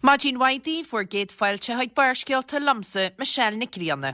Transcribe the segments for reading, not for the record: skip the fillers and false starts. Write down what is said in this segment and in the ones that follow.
Maidin mhaith daoibh, bhur gcéad fáilte chuig Barrscéalta liomsa, Michelle Nic Grianna.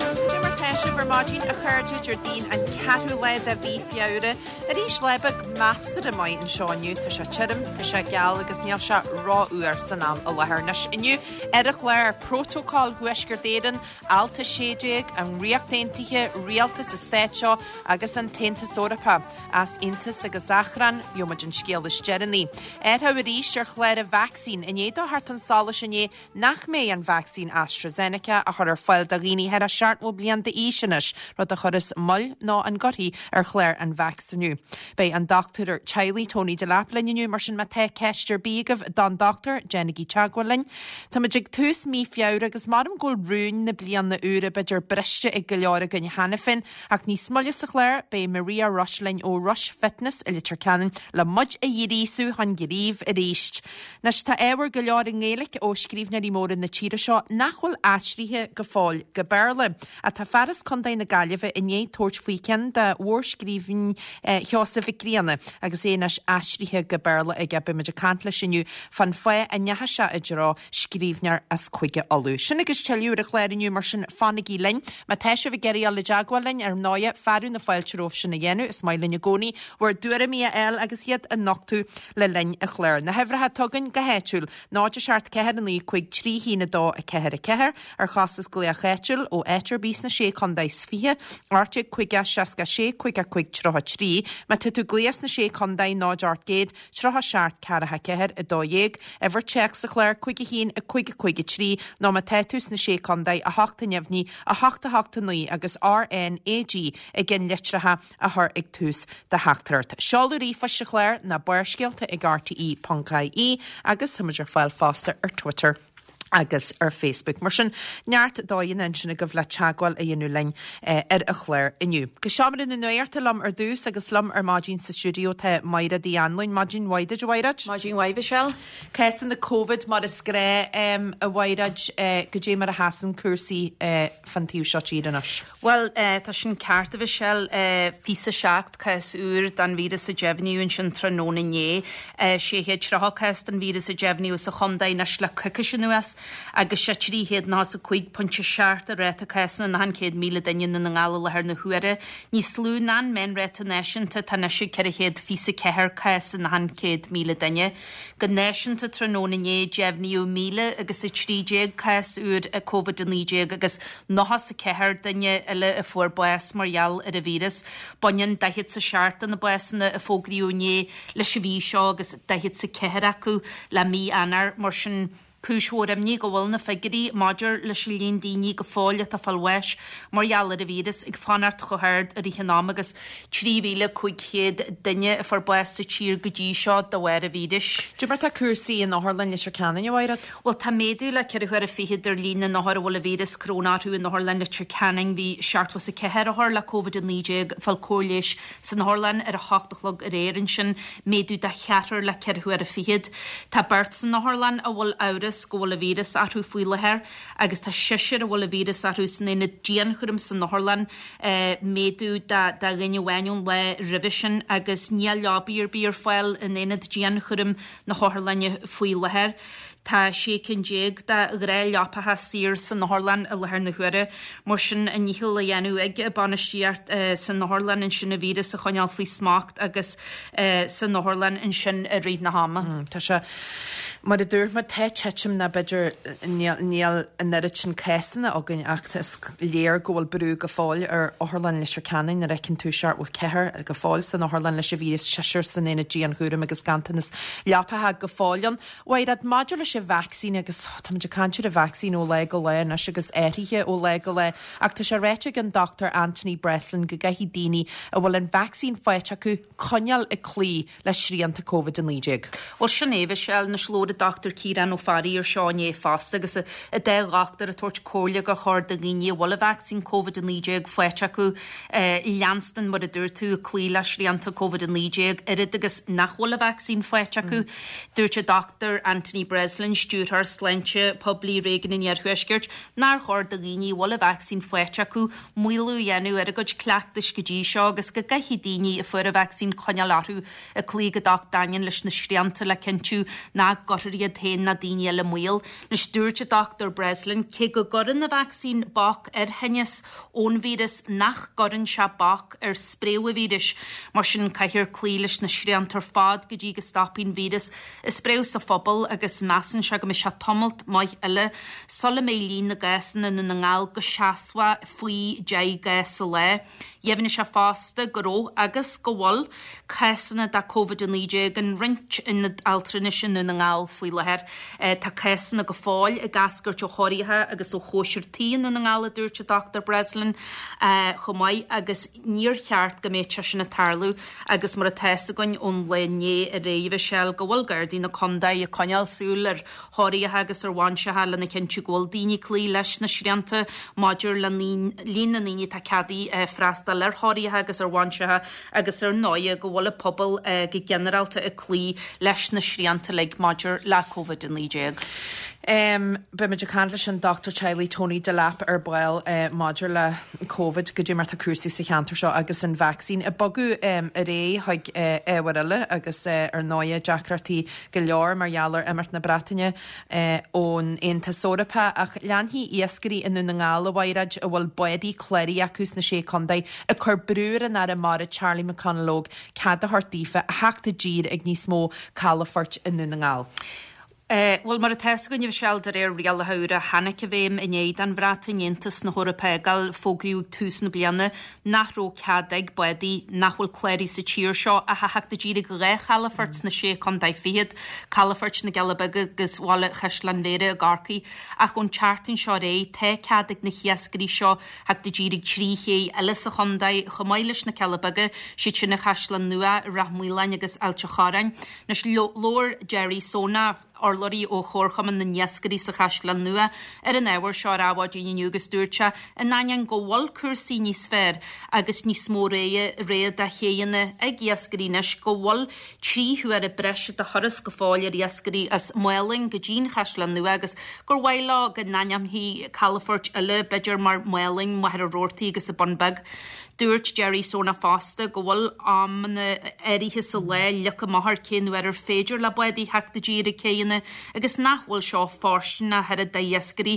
Cad é mar tá sibh ar maidin, a chairde, Déardaoin an ceathrú lá de mhí Feabhra. Arís lá beag measartha maith anseo inniu. Tá sé tirim, tá sé geal agus níl sé rófhuar san am i láthair. Anois, inniu ar an chlár, Prótocol Thuaisceart Éireann, Alt 16, an Ríocht Aontaithe, Rialtas an Stáit seo agus an tAontas Eorpach. Easaontas agus achrann, gheobhaimid an scéal is deireanaí. Athrú arís ar chlár an vacsaín i ndiaidh dó theacht chun solais inné nach mbeidh an vacsaín AstraZeneca á chur ar fáil do dhaoine thar 70 bliain d'aois anois, rud a chuirfeas moill nó an gcuirfidh ar chlár an vacsaíniú. Beidh an dochtúir teaghlaigh Tony Delap linn inniu, mar sin má tá ceist ar bith agaibh don dochtúir, déanaigí teagmháil linn. Táimid ag tús mí Feabhra agus maram go bhfuil rúin na bliana úire b'fhéidir briste ag go leor againn cheana féin, Ach níos moille sa chlár, beidh Maria Rush linn ó Rush Fitness i Leitir Ceanainn le muid a ghríosú chun gnímh arís. Anois, tá ábhar go leor i nGaeilge ó scríbhneoirí móra na tíre seo nach bhfuil aistrithe go fóill go Béarla. Ach tá fear as Contae na Gaillimhe i ndiaidh tabhairt faoi cheann de mhórscríbhinní Sheosaimh Mhic Grianna agus é anois aistrithe go Béarla aige. Beidh muid ag caint leis inniu fán fáth a ndeachaigh sé i dtreo scríbhneoir as Cúige Uladh. Sin agus tuilleadh ar an chlár inniu, mar sin fanaigí linn. Má tá sibh ag iarraidh dul i dteagmháil linn, ar ndóighe, fearadh na fáilte romhaibh sin a dhéanamh. Is maith linn i gcónaí bhur dtuairimí a fháil agus iad a nochtadh le linn an chláir. Na huimhreacha atá againn go háitiúil, 0 7 4 9 5 3 1 2 4 4, ar chostas glaoch áitiúil ó áit ar bith sna Sé Chontae is 20, 18 50 66 55 33. Má tá tú ag glaoch sna Sé Chontae, 0 800 37 4 4 12, uimhir téacs sa chlár 5 1 5 5 3, nó má tá tú sna Sé Contae, 8 neamhní, 8 8 9 agus RNAG i gceannlitreacha a chur ag tús do theachtaireacht. Seoladh ríomhphoist sa chlár ná barrscéalta ag rte.ie agus táimid ar fáil fosta ar Twitter. agus ar Facebook. Mar sin, neart dóigheanna ansin agaibh le teagmháil a dhéanamh linn ar an chlár inniu. Go seomra na nuachta liom ar dtús agus liom ar maidin sa stiúideo tá Maighread Uí Anluain. Maidin mhaith duit, a Mhaighread. Maidin mhaith, Michelle. Cásanna Covid mar is gnách, a Mhaighread, goidé mar a sheasann cúrsaí fán taobh seo tíre anois? Bhuel, tá sin ceart, a Mhichelle. 27 cás úr den víreas a deimhníodh ansin tráthnóna inné. 630 cás den víreas a deimhníodh sa chontae anois le coicís anuas agus sé 395.7 an ráta cásanna in achan 100,000 duine i nDún na nGall i láthair na huaire. Níos lú ná an meánráta náisiúnta atá anois ag 424 cás in achan 100,000 duine. Go náisiúnta tráthnóna inné deimhníodh 1,000 agus 13 cás úr Covid-19 agus 94 duine eile a fuair bás mar gheall ar an víreas. Baineann 47 de na básanna a fógraíodh inné leis an mhí seo agus 44 acu le mí Eanáir. Mar sin, cúis mhór imní go bhfuil na figiúirí maidir leis an líon daoine go fóill atá ag fáil bháis mar gheall ar an víreas ag fanacht chomh hard i rith an ama agus 3,500 duine a fuair bás sa tír go dtí seo de bharr an víris. Cad é mar tá cúrsaí in Otharlann Leitir Ceanainn, a Mhaighread? Bhuel, tá méadú le ceithre huaire fichead ar líon na n-othar a bhfuil an víreas coróna orthu in Otharlann Leitir Ceanainn. Bhí 74 othar le Covid-19 ag fáil cóir leighis san otharlann ar a hocht a chlog aréir ansin, méadú de cheathrar le ceithre huaire fichead. Tá beirt san otharlann a bhfuil amhras go bhfuil an víreas orthu faoi láthair agus tá seisear a bhfuil an víreas orthu san aonad dianchúraim san otharlann, méadú de dhuine amháin ón lá roimhe sin agus níl leabaí ar bith ar fáil in aonad dianchúraim na hotharlainne faoi láthair. Tá 16 cinn de ghnáthleapacha saor san otharlann i láthair na huaire. Mar sin, a ndícheall á dhéanamh ag bainistíocht san otharlann ansin an víreas a choinneáil faoi smacht agus san otharlann ansin i rith na hama. Tá sé, mar a dúirt muid, tá titim ná b'fhéidir níl an oiread sin cásanna againn ach is léir go bhfuil brú go fóill ar Otharlann Leitir Ceanainn nuair a fheiceann tú 74 go fóill san otharlann leis an víreas, seisear san aonad dianchúraim agus ganntanas leapacha go fóill ann. Mhaighread, maidir leis an vacsaín agus táimid ag caint ar an vacsaín ó lá go lá anois agus athruithe ó lá go lá ach tá sé ráite ag an Dr Anthony Breslin go gcaithfidh daoine a bhfuil an vacsaín faighte acu coinneáil ag cloí le srianta Covid-19. Bhuel sin é, Michelle, anois labhair. Labhair an Dr Ciarán Ó Fearraigh ar seo inné fosta agus an dá dhochtúir ag tabhairt comhairle gur chóir do dhaoine a bhfuil an vacsaín Covid-19 faighte acu leanstan, mar a dúirt tú, ag cloí le srianta Covid-19, oiread agus nach bhfuil an vacsaín faighte acu. Dúirt an Dr Anthony Breslin, Stiúrthóir Sláinte Poiblí Réigiún an Iarthuaiscirt, nár chóir do dhaoine a bhfuil an vacsaín faighte acu maolú a dhéanamh ar a gcuid cleachtais go dtí seo agus go gcaithfidh daoine a fuair an vacsaín coinneáil orthu ag cloí go docht daingean leis na srianta le cinntiú nach gcuirfear iad féin ná daoine eile i mbaol. Anois dúirt an Dr Breslin, cé go gcuireann an vacsaín bac ar thinneas ón víreas, nach gcuireann sé bac ar spréadh an víris. Mar sin caithfear cloí leis na srianta ar fad go dtí go stopfaidh an víreas ag spréadh sa phobal agus measann sé go mbeidh sé tamalt maith eile sula mbeidh líon na gcásanna i nDún na nGall go seasmhach faoi 10 gcás sa lá. Dheimhnigh sé fosta go raibh agus go bhfuil cásanna de Covid-19 in roinnt ionad altranais i nDún na nGall faoi láthair. Tá cásanna go fóill ag eascairt ó thórraimh agus ó chóisir tí i nDún na nGall, a dúirt an Dr Breslin chomh maith, agus níor cheart go mbeadh sé sin ag tarlú agus mar atá fhios againn ón lá inné aréir, a Mhichelle, go bhfuil Gardaí na contae ag coinneáil súil ar thórraimh agus ar bhainseacha lena chinntiú go bhfuil daoine ag cloí leis na srianta maidir le líon na ndaoine atá ceadaithe freastal ar thórraimh agus ar bhainseacha agus ar ndóigh go bhfuil an pobal go ginearálta ag cloí leis na srianta uilig maidir le Covid-19. Beimid ag caint leis an Dochtúir Teaghlaigh Tony Delap ar ball maidir le Covid, goidé mar tá cúrsaí sa cheantar seo agus an vacsaín ag bogadh ar aghaidh chuig ábhar eile agus ar ndóigh deacrachtaí go leor mar gheall ar imeacht na Breataine ón Aontas Eorpach, ach leanfaidh iascairí i nDún na nGall, a Mhaighread, a bhfuil bádaí cláraithe acu sna Sé Contae, ag cur brú ar an Aire Mara Charlie McConalogue cead a thabhairt daofa a theacht i dtír ag níos mó calafoirt i nDún na nGall. Bhuel, mar atá fhios againn, a Mhichelle, de réir rialacha úra a tháinig i bhfeidhm i ndiaidh don Bhreatain Aontas na hEorpa a fhágáil, fógraíodh ag tús na bliana nach raibh cead ag bádaí nach bhfuil cláraithe sa tír seo ach a theacht i dtír ag 2 chalafort sna Sé Contae Fichead, calafoirt na gCealla Beaga agus Bhaile Chaisleáin Bhéarra i gCorcaigh. Ach ón tseachtain seo ar aghaidh, tá cead ag na hiascairí seo theacht i dtír ag 3 ché eile sa chontae, chomh maith leis na Cealla Beaga, siad sin an Chaisleán Nua, Rath Maoláin agus Ailt a' Chorráin. Anois, labhair Gerry Sona, urlabhraí ó Chomharchumann na nIascairí sa Chaisleán Nua, ar an ábhar seo ar Adhmhaidin inniu agus dúirt sé, in ainneoin go bhfuil cúrsaí níos fearr agus níos mó rogha de chéanna ag iascairí anois, go bhfuil 3 huaire breise de thuras go fóill ar iascairí as Málainn go dtí'n Chaisleán Nua agus gur mhaith leo go n-ainmneofaí calafoirt eile, b'fhéidir mar Málainn, Machaire Rabhartaigh agus an Bun Beag. Dúirt Gerry Sona fosta go bhfuil amanna áirithe sa lá leagtha amach ar cén uair ar féidir le bádaí theacht i dtír ag céidheanna agus nach bhfuil seo fóirsteanach ach oiread d'iascairí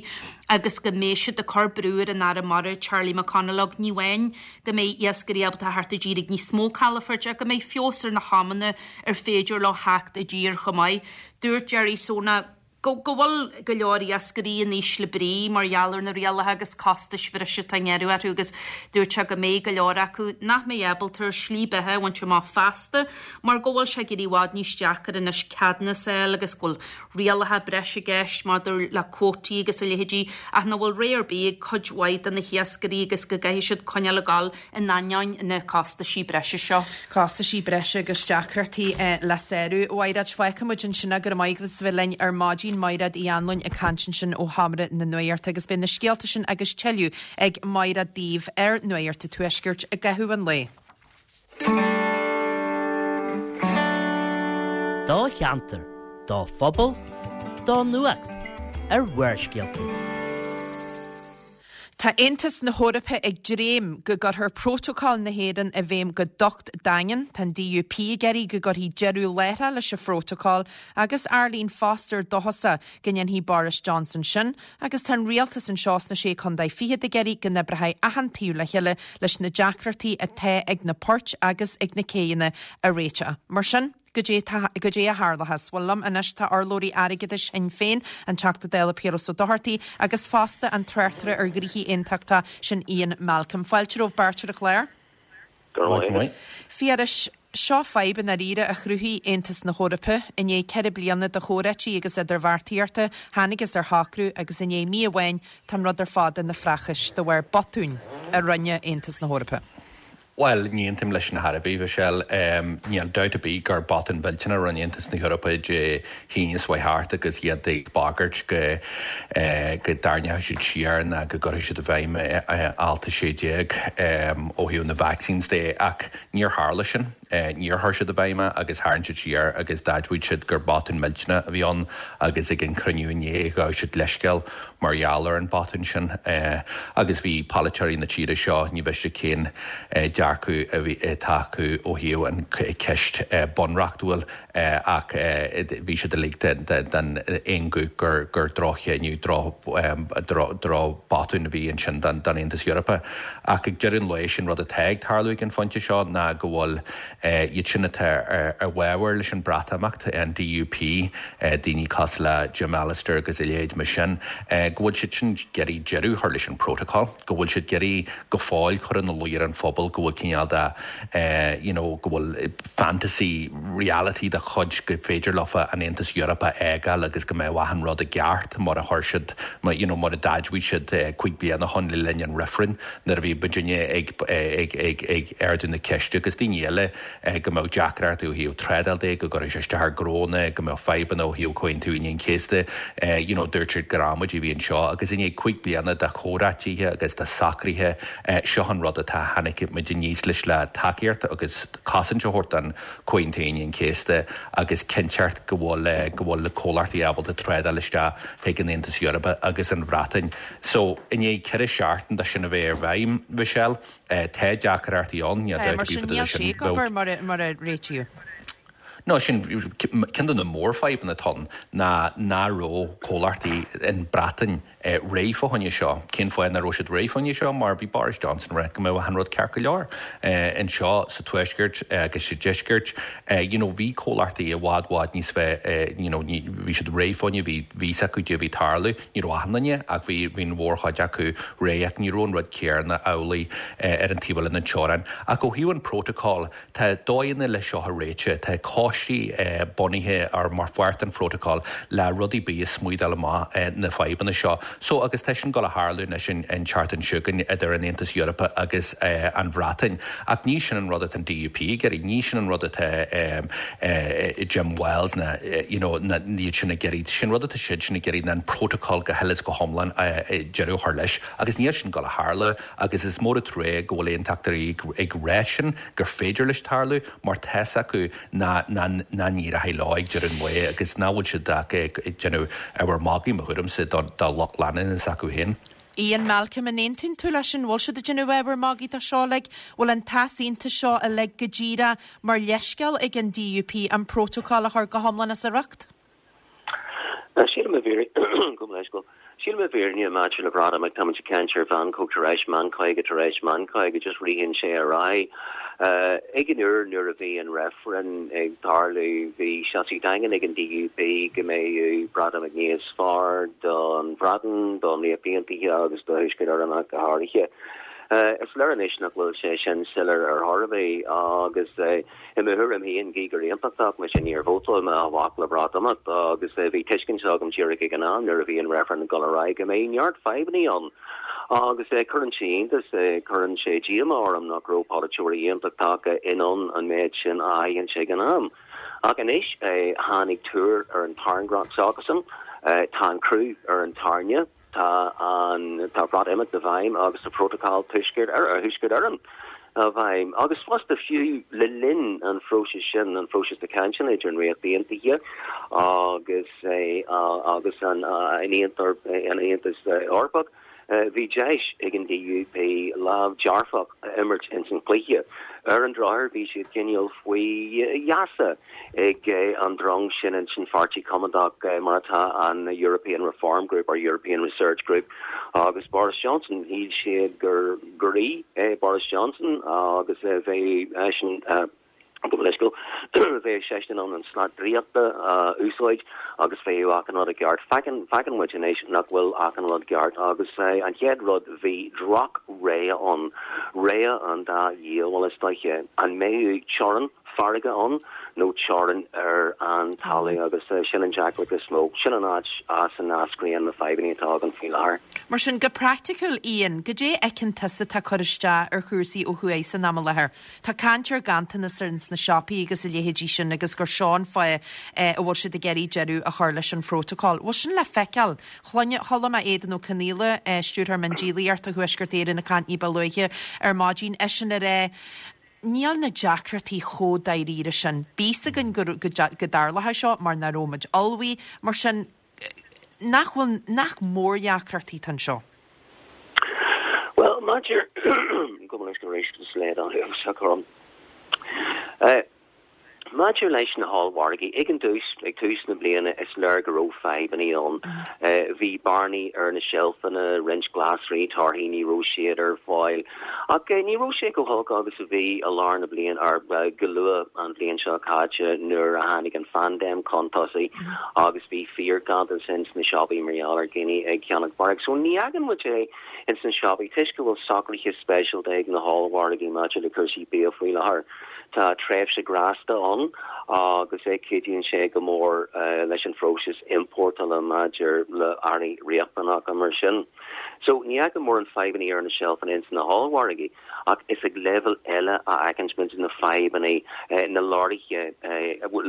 agus go mbeidh siad ag cur brú ar an Aire Mara Charlie McConalogue ní amháin go mbeidh iascairí ábalta theacht i dtír ag níos mó calafoirt ach go mbeidh feabhas ar na hamanna ar féidir leo theacht i dtír chomh maith. Dúirt Gerry Sona. go bhfuil go leor iascairí in ísle brí mar gheall ar na rialacha agus costais bhreise atá á ngearradh orthu agus dúirt sé go mbeidh go leor acu nach mbeidh ábalta ar shlí beatha a bhaint amach feasta mar go bhfuil sé ag éirí i bhfad níos deacair anois ceadúnas a fháil agus go bhfuil rialacha breise i gceist maidir le cuótaí agus a leithéidí ach nach bhfuil rogha ar bith ag cuid mhaith de na hiascairí agus go gcaithfidh siad coinneáil ag gabháil in ainneoin na costaisí breise seo. Costaisí breise agus deacrachtaí le sárú. A Mhaighread, fágfaidh muid ansin é. Go raibh maith agat as a bheith linn ar maidin. Maighread Uí Anluain ag caint ansin ó Sheomra na Nuachta agus beidh na scéalta sin agus tuilleadh ag Maighread daoibh ar Nuacht an Tuaiscirt i gcaitheamh an lae. Do cheantar, do phobal, do nuacht ar Bharrscéalta. Tá Aontas na hEorpa ag dréim go gcuirfear Prótacal na hÉireann i bhfeidhm go docht daingean. Tá an DUP ag iarraidh go gcuirfí deireadh láithreach leis an phrótacal agus Arlene Foster dóchasach go ndéanfaidh Boris Johnson sin agus tá an rialtas anseo sna Sé Contae Fichead ag iarraidh go n-oibreoidh achan taobh le chéile leis na deacrachtaí atá ag na poirt agus ag na céidheanna a réiteach. Mar sin. Goidé goidé a tharlóchas? Bhuel, liom anois tá urlabhraí airgeadais Shinn Féin, an Teachta Dála Piaras Ó Dochartaigh, agus fosta an tráchtaire ar ghnoithí aontachtacha, sin Ian Malcolm. Fáilte romhaibh beirt ar an chlár. Go raibh maith agat. Phiarais, seo fadhb i ndáiríre a chruthaigh Aontas na hEorpa. I ndiaidh 4 bliana de chomhráití agus idirbheartaíochta, thángthas ar shocrú agus i ndiaidh mí amháin tá an rud ar fad ina phraichis de bharr botúin a rinne Aontas na hEorpa. Bhuel, ní aontaím leis sin ar chor ar bith, Mhichelle. Níl dabht ar bith gur botún millteanach a rinne Aontas na hEorpa Dé hAoine seo chuaigh thart agus iad ag bagairt go go dtarraingeoidh siad siar ná go gcuirfidh siad i bhfeidhm Alt 16 ó thaobh na vaccines de ach níor tharla sin. Níor chuir siad i bhfeidhm é agus tharraing siad siar agus d'admhaigh siad gur botún millteanach a bhí ann agus ag an chruinniú inné ghabh siad leithscéal mar gheall ar an botún sin agus bhí polaiteoirí na tíre seo, ní mhiste cén dearcadh a bhí atá acu ó thaobh an ceist bunreachtúil ach bhí siad uilig den aon ghuth gur gur droch-chinneadh, droch botún a bhí ansin don Aontas Eorpach. Ach ag deireadh an lae, sin rud atá ag tarlú ag an phointe seo ná go bhfuil Iad sin atá i bhfabhar leis an Breatimeacht, an DUP, daoine cosúil le Jim Allister agus a leithéid mar sin, go bhfuil siad sin ag iarraidh deireadh a chur leis an bprótacal, go bhfuil siad ag iarraidh go fóill cur ina luí ar an phobal go bhfuil cineál de you know go bhfuil fantasy reality de chuid go féidir leofa an Aontas Eorpach a fhágáil agus go mbeadh achan rud i gceart mar a chuir siad you know mar a d'admhaigh siad 5 bliana ó shin le linn an reifrinn. nuair a bhí muidinne ag ag ardú na ceiste agus daoine eile go mbeadh deacrachtaí ó thaobh trádáil de, go gcuirfeadh sé isteach ar ghnónna, go mbeadh fadhbanna ó thaobh Comhaontú Aoine an Chéasta, you know dúirt siad gur amaidí a bhí anseo agus i ndiaidh 5 bliana de chomhráitithe agus de socruithe, seo an rud atá tháinig muid aníos leis le tacaíocht agus cosaint a thabhairt don Comhaontú Aoine an Chéasta agus cinnteacht go bhfuil go bhfuil na comhlachtaí ábalta trádáil isteach chuig an Aontas Eorpach agus an Bhreatain. So, i ndiaidh 4 seachtain de sin a bheith ar bhfeidhm, Mhichelle, tá deacrachtaí ann, níl dabht ar bith fá dtaobh de sin. Mar sin, níl sé ag obair mar a réitíodh. No, sin, ceann de na mórfhadhbanna atá ann ná nach raibh comhlachtaí in Breatain réidh fá choinne seo. Cén fáth nach raibh siad réidh fá choinne seo? Mar bhí Boris Johnson ag rá go mbeadh achan rud ceart go leor anseo sa Tuaisceart agus sa Deisceart. You know, bhí comhlachtaí i bhfad, bhfad níos fearr, you know, bhí siad réidh fá choinne, bhí fhios acu caidé a bhí ag tarlú. Ní raibh achan duine, ach bhí bhí an mhórchuid acu réidh, ach ní raibh an rud céanna amhlaidh ar an taobh eile den teorainn. Ach ó thaobh an prótacal, tá dóigheanna le seo a réiteach. Tá coistí bunaithe ar mar pháirt den phrótacal le rudaí bith a smooth-áil amach na fadhbanna seo. So, agus tá sin ag dul a tharlú anois an tseachtain seo chugainn idir an Aontas Eorpach agus an Bhreatain. Ach ní sin an rud atá an DUP ag iarraidh, ní sin an rud atá Jim Wells ná you know ná iad sin ag iarraidh. Sin rud atá siad sin ag iarraidh ná an prótacal go huile is go hiomlán deireadh a chur leis. Agus níl sin ag dul a tharlú agus is mór an trua go bhfuil aontachtóirí ag rá sin gur féidir leis tarlú mar tá's acu nach n-éireoidh leo ag deireadh an lae agus nach bhfuil siad ach ag déanamh ábhar magaidh mo thuairimse do lucht leanúna s'acu féin. Ian Malcolm, an aontaíonn tú leis sin? Bhfuil siad ag déanamh ábhar magaidh de seo uilig? Bhfuil an t-easaontas seo uilig go díreach mar leithscéal ag an DUP an prótacal a chur go hiomlán as a riocht? Sílim i bhfírinne, gabh mo leithscéal, sílim i bhfírinne maidir le Breatimeacht, táimid ag caint ar mheancóg tar éis meancóige tar éis meancóige, just ritheann sé ar aghaidh. Ag an uair nuair a bhí an reifreann ag tarlú, bhí seasamh daingean ag an DUP go mbeadh Breatimeacht níos fearr don Bhreatain, don Ríocht Aontaithe agus do Thuaisceart Éireann ach go háirithe. Is léir anois nach bhfuil sé sin soiléir ar chor ar bith agus i mo thuairim féin, gí gur aontachtach mise, níor vótáil mé amach le Breatimeacht agus bhí tuiscint agam díreach ag an am nuair a bhí an reifreann ag dul ar aghaidh go mbeadh neart fadhbanna ann. Agus cuireann sé iontas, cuireann sé díomá orm nach raibh polaiteoirí aontachtacha in ann an méid sin a aithint ag an am. Ach anois tháinig tuar ar an tairngreacht s'acusan, tá an crú ar an tairne. Tá an tá Breatimeacht i bhfeidhm agus tá Prótacal Tuaisceart Thuaisceart Éireann i bhfeidhm. Agus fosta fiú le linn an phróisis sin, an phróisis de chainteanna idir an Ríocht Aontaithe agus agus an Aontas Eorpach, bhí deis ag an DUP lámh dearfach a imirt ins an chluiche. Ar an drochuair bhí siad cineál faoi gheasa ag an drong sin ins an Pháirtí Coimeádach, mar atá an European Reform Group or European Research Group, agus Boris Johnson. Shíl siad gur rí é Boris Johnson agus bheadh eisean, gabh mo leithscéal, bheadh seisean in ann an slat draíochta a úsáid agus bheadh achan rud i gceart. Feiceann, feiceann muid anois nach bhfuil achan rud ceart agus an chéad rud, bhí droch-rogha ann, rogha an dá dhiabhal is dóiche. An mbeadh teorainn? farraige ann nó teorainn ar an talamh agus sin an deacracht is mó. Sin an áit as a n-eascraíonn na fadhbanna atá againn faoi láthair. Mar sin, go praiticiúil, Ian, goidé a fheiceann tusa atá ag cur isteach ar chúrsaí ó thuaidh san am i láthair? Tá caint ar ghanntanas ins na siopaí agus a leithéidí sin agus gur seo an fáth a bhfuil siad ag iarraidh deireadh a chur leis an phrótacal. Bhfuil sin le feiceáil? Chuala mé Aodán Ó Conaola, Stiúrthóir Miondíolaíochta Thuaisceart Éireann ag caint ní ba luaithe ar maidin, eisean ag rá, Níl na deacrachtaí chomh dáiríre sin. Bhí a fhios againn go dtarlódh seo mar nach raibh muid ullmhaithe. Mar sin, nach bhfuil, nach mórdheacrachtaí atá anseo? Bhuel, maidir, gabh mo leithscéal arís, is léad an uafásach orm. Maidir leis na hollmhargaí, ag an dtús, ag tús na bliana, is léir go raibh fadhbanna ann. Bhí bearnaí ar na seilfeanna, roinnt glasraí, torthaí, ní raibh siad ar fáil. Ach ní raibh sé chomh holc agus a bhí i lár na bliana, or go luath an bhliain seo caite nuair a tháinig an phaindéim chun tosaigh agus bhí fíorghanntanas ins na siopaí mar gheall ar dhaoine ag ceannach barraíocht. So ní fheiceann muid é ins na siopaí toisc go bhfuil socruithe speisialta ag na hollmhargaí maidir le cúrsaí bia faoi láthair. Tá tréimhse grásta ann agus cuidíonn sé go mór leis an phróiseas iompórtála maidir le earraí riachtanacha mar sin. So, ní fheicim mórán fadhbanna ar na seilfeanna ins na hollmhargaí, ach is ag leibhéal eile a fheiceann muid na fadhbanna, na leoraithe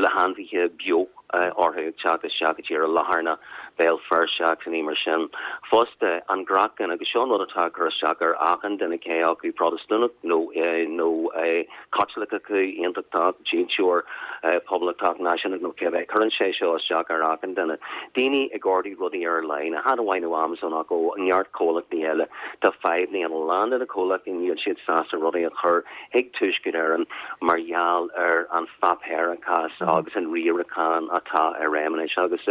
le hainmhithe beo orthu ag teacht isteach i dtír i Latharna, Béal Feirste agus nithe mar sin. Fosta, an craiceann, agus seo an rud atá ag cur isteach ar achan duine cé acu Protastúnach nó nó Caitliceach, Aontachtach, Dílseoir, Poblachtach, Náisiúnach nó cibé, cuireann sé seo isteach ar achan duine. Daoine ag ordú rudaí ar line, chan amháin ó Amazon ach ó neart comhlachtaí eile. Tá fadhbanna ann, a lán de na comhlachtaí níl siad sásta rudaí a chur chuig Tuaisceart Éireann mar gheall ar an pháipéarachas agus an riarachán atá i réim anois agus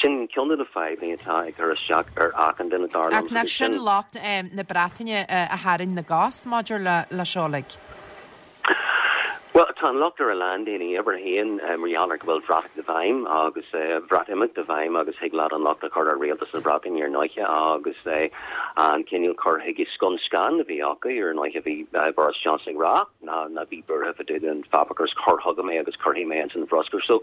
sin ceann de na fadhbanna atá ag cur isteach ar achan duine dar liom. Ach nach sin locht na Breataine a tharraing na gcos maidir le seo uilig? Bhuel, tá an locht ar a lán daoine. Uimhir a haon, mar gheall ar go bhfuil Bhreatimeacht i bhfeidhm agus Bhreatimeacht i bhfeidhm agus thig leat an locht a chur ar Rialtas na Breataine ar ndóiche agus an cineál cur chuige scun scan a bhí acu ar ndóiche bhí Boris Johnson ag rá ná ná bí buartha fá dtaobh den pháipéarachas cuir chugam é agus cuirfidh mé ins an bhruscar. So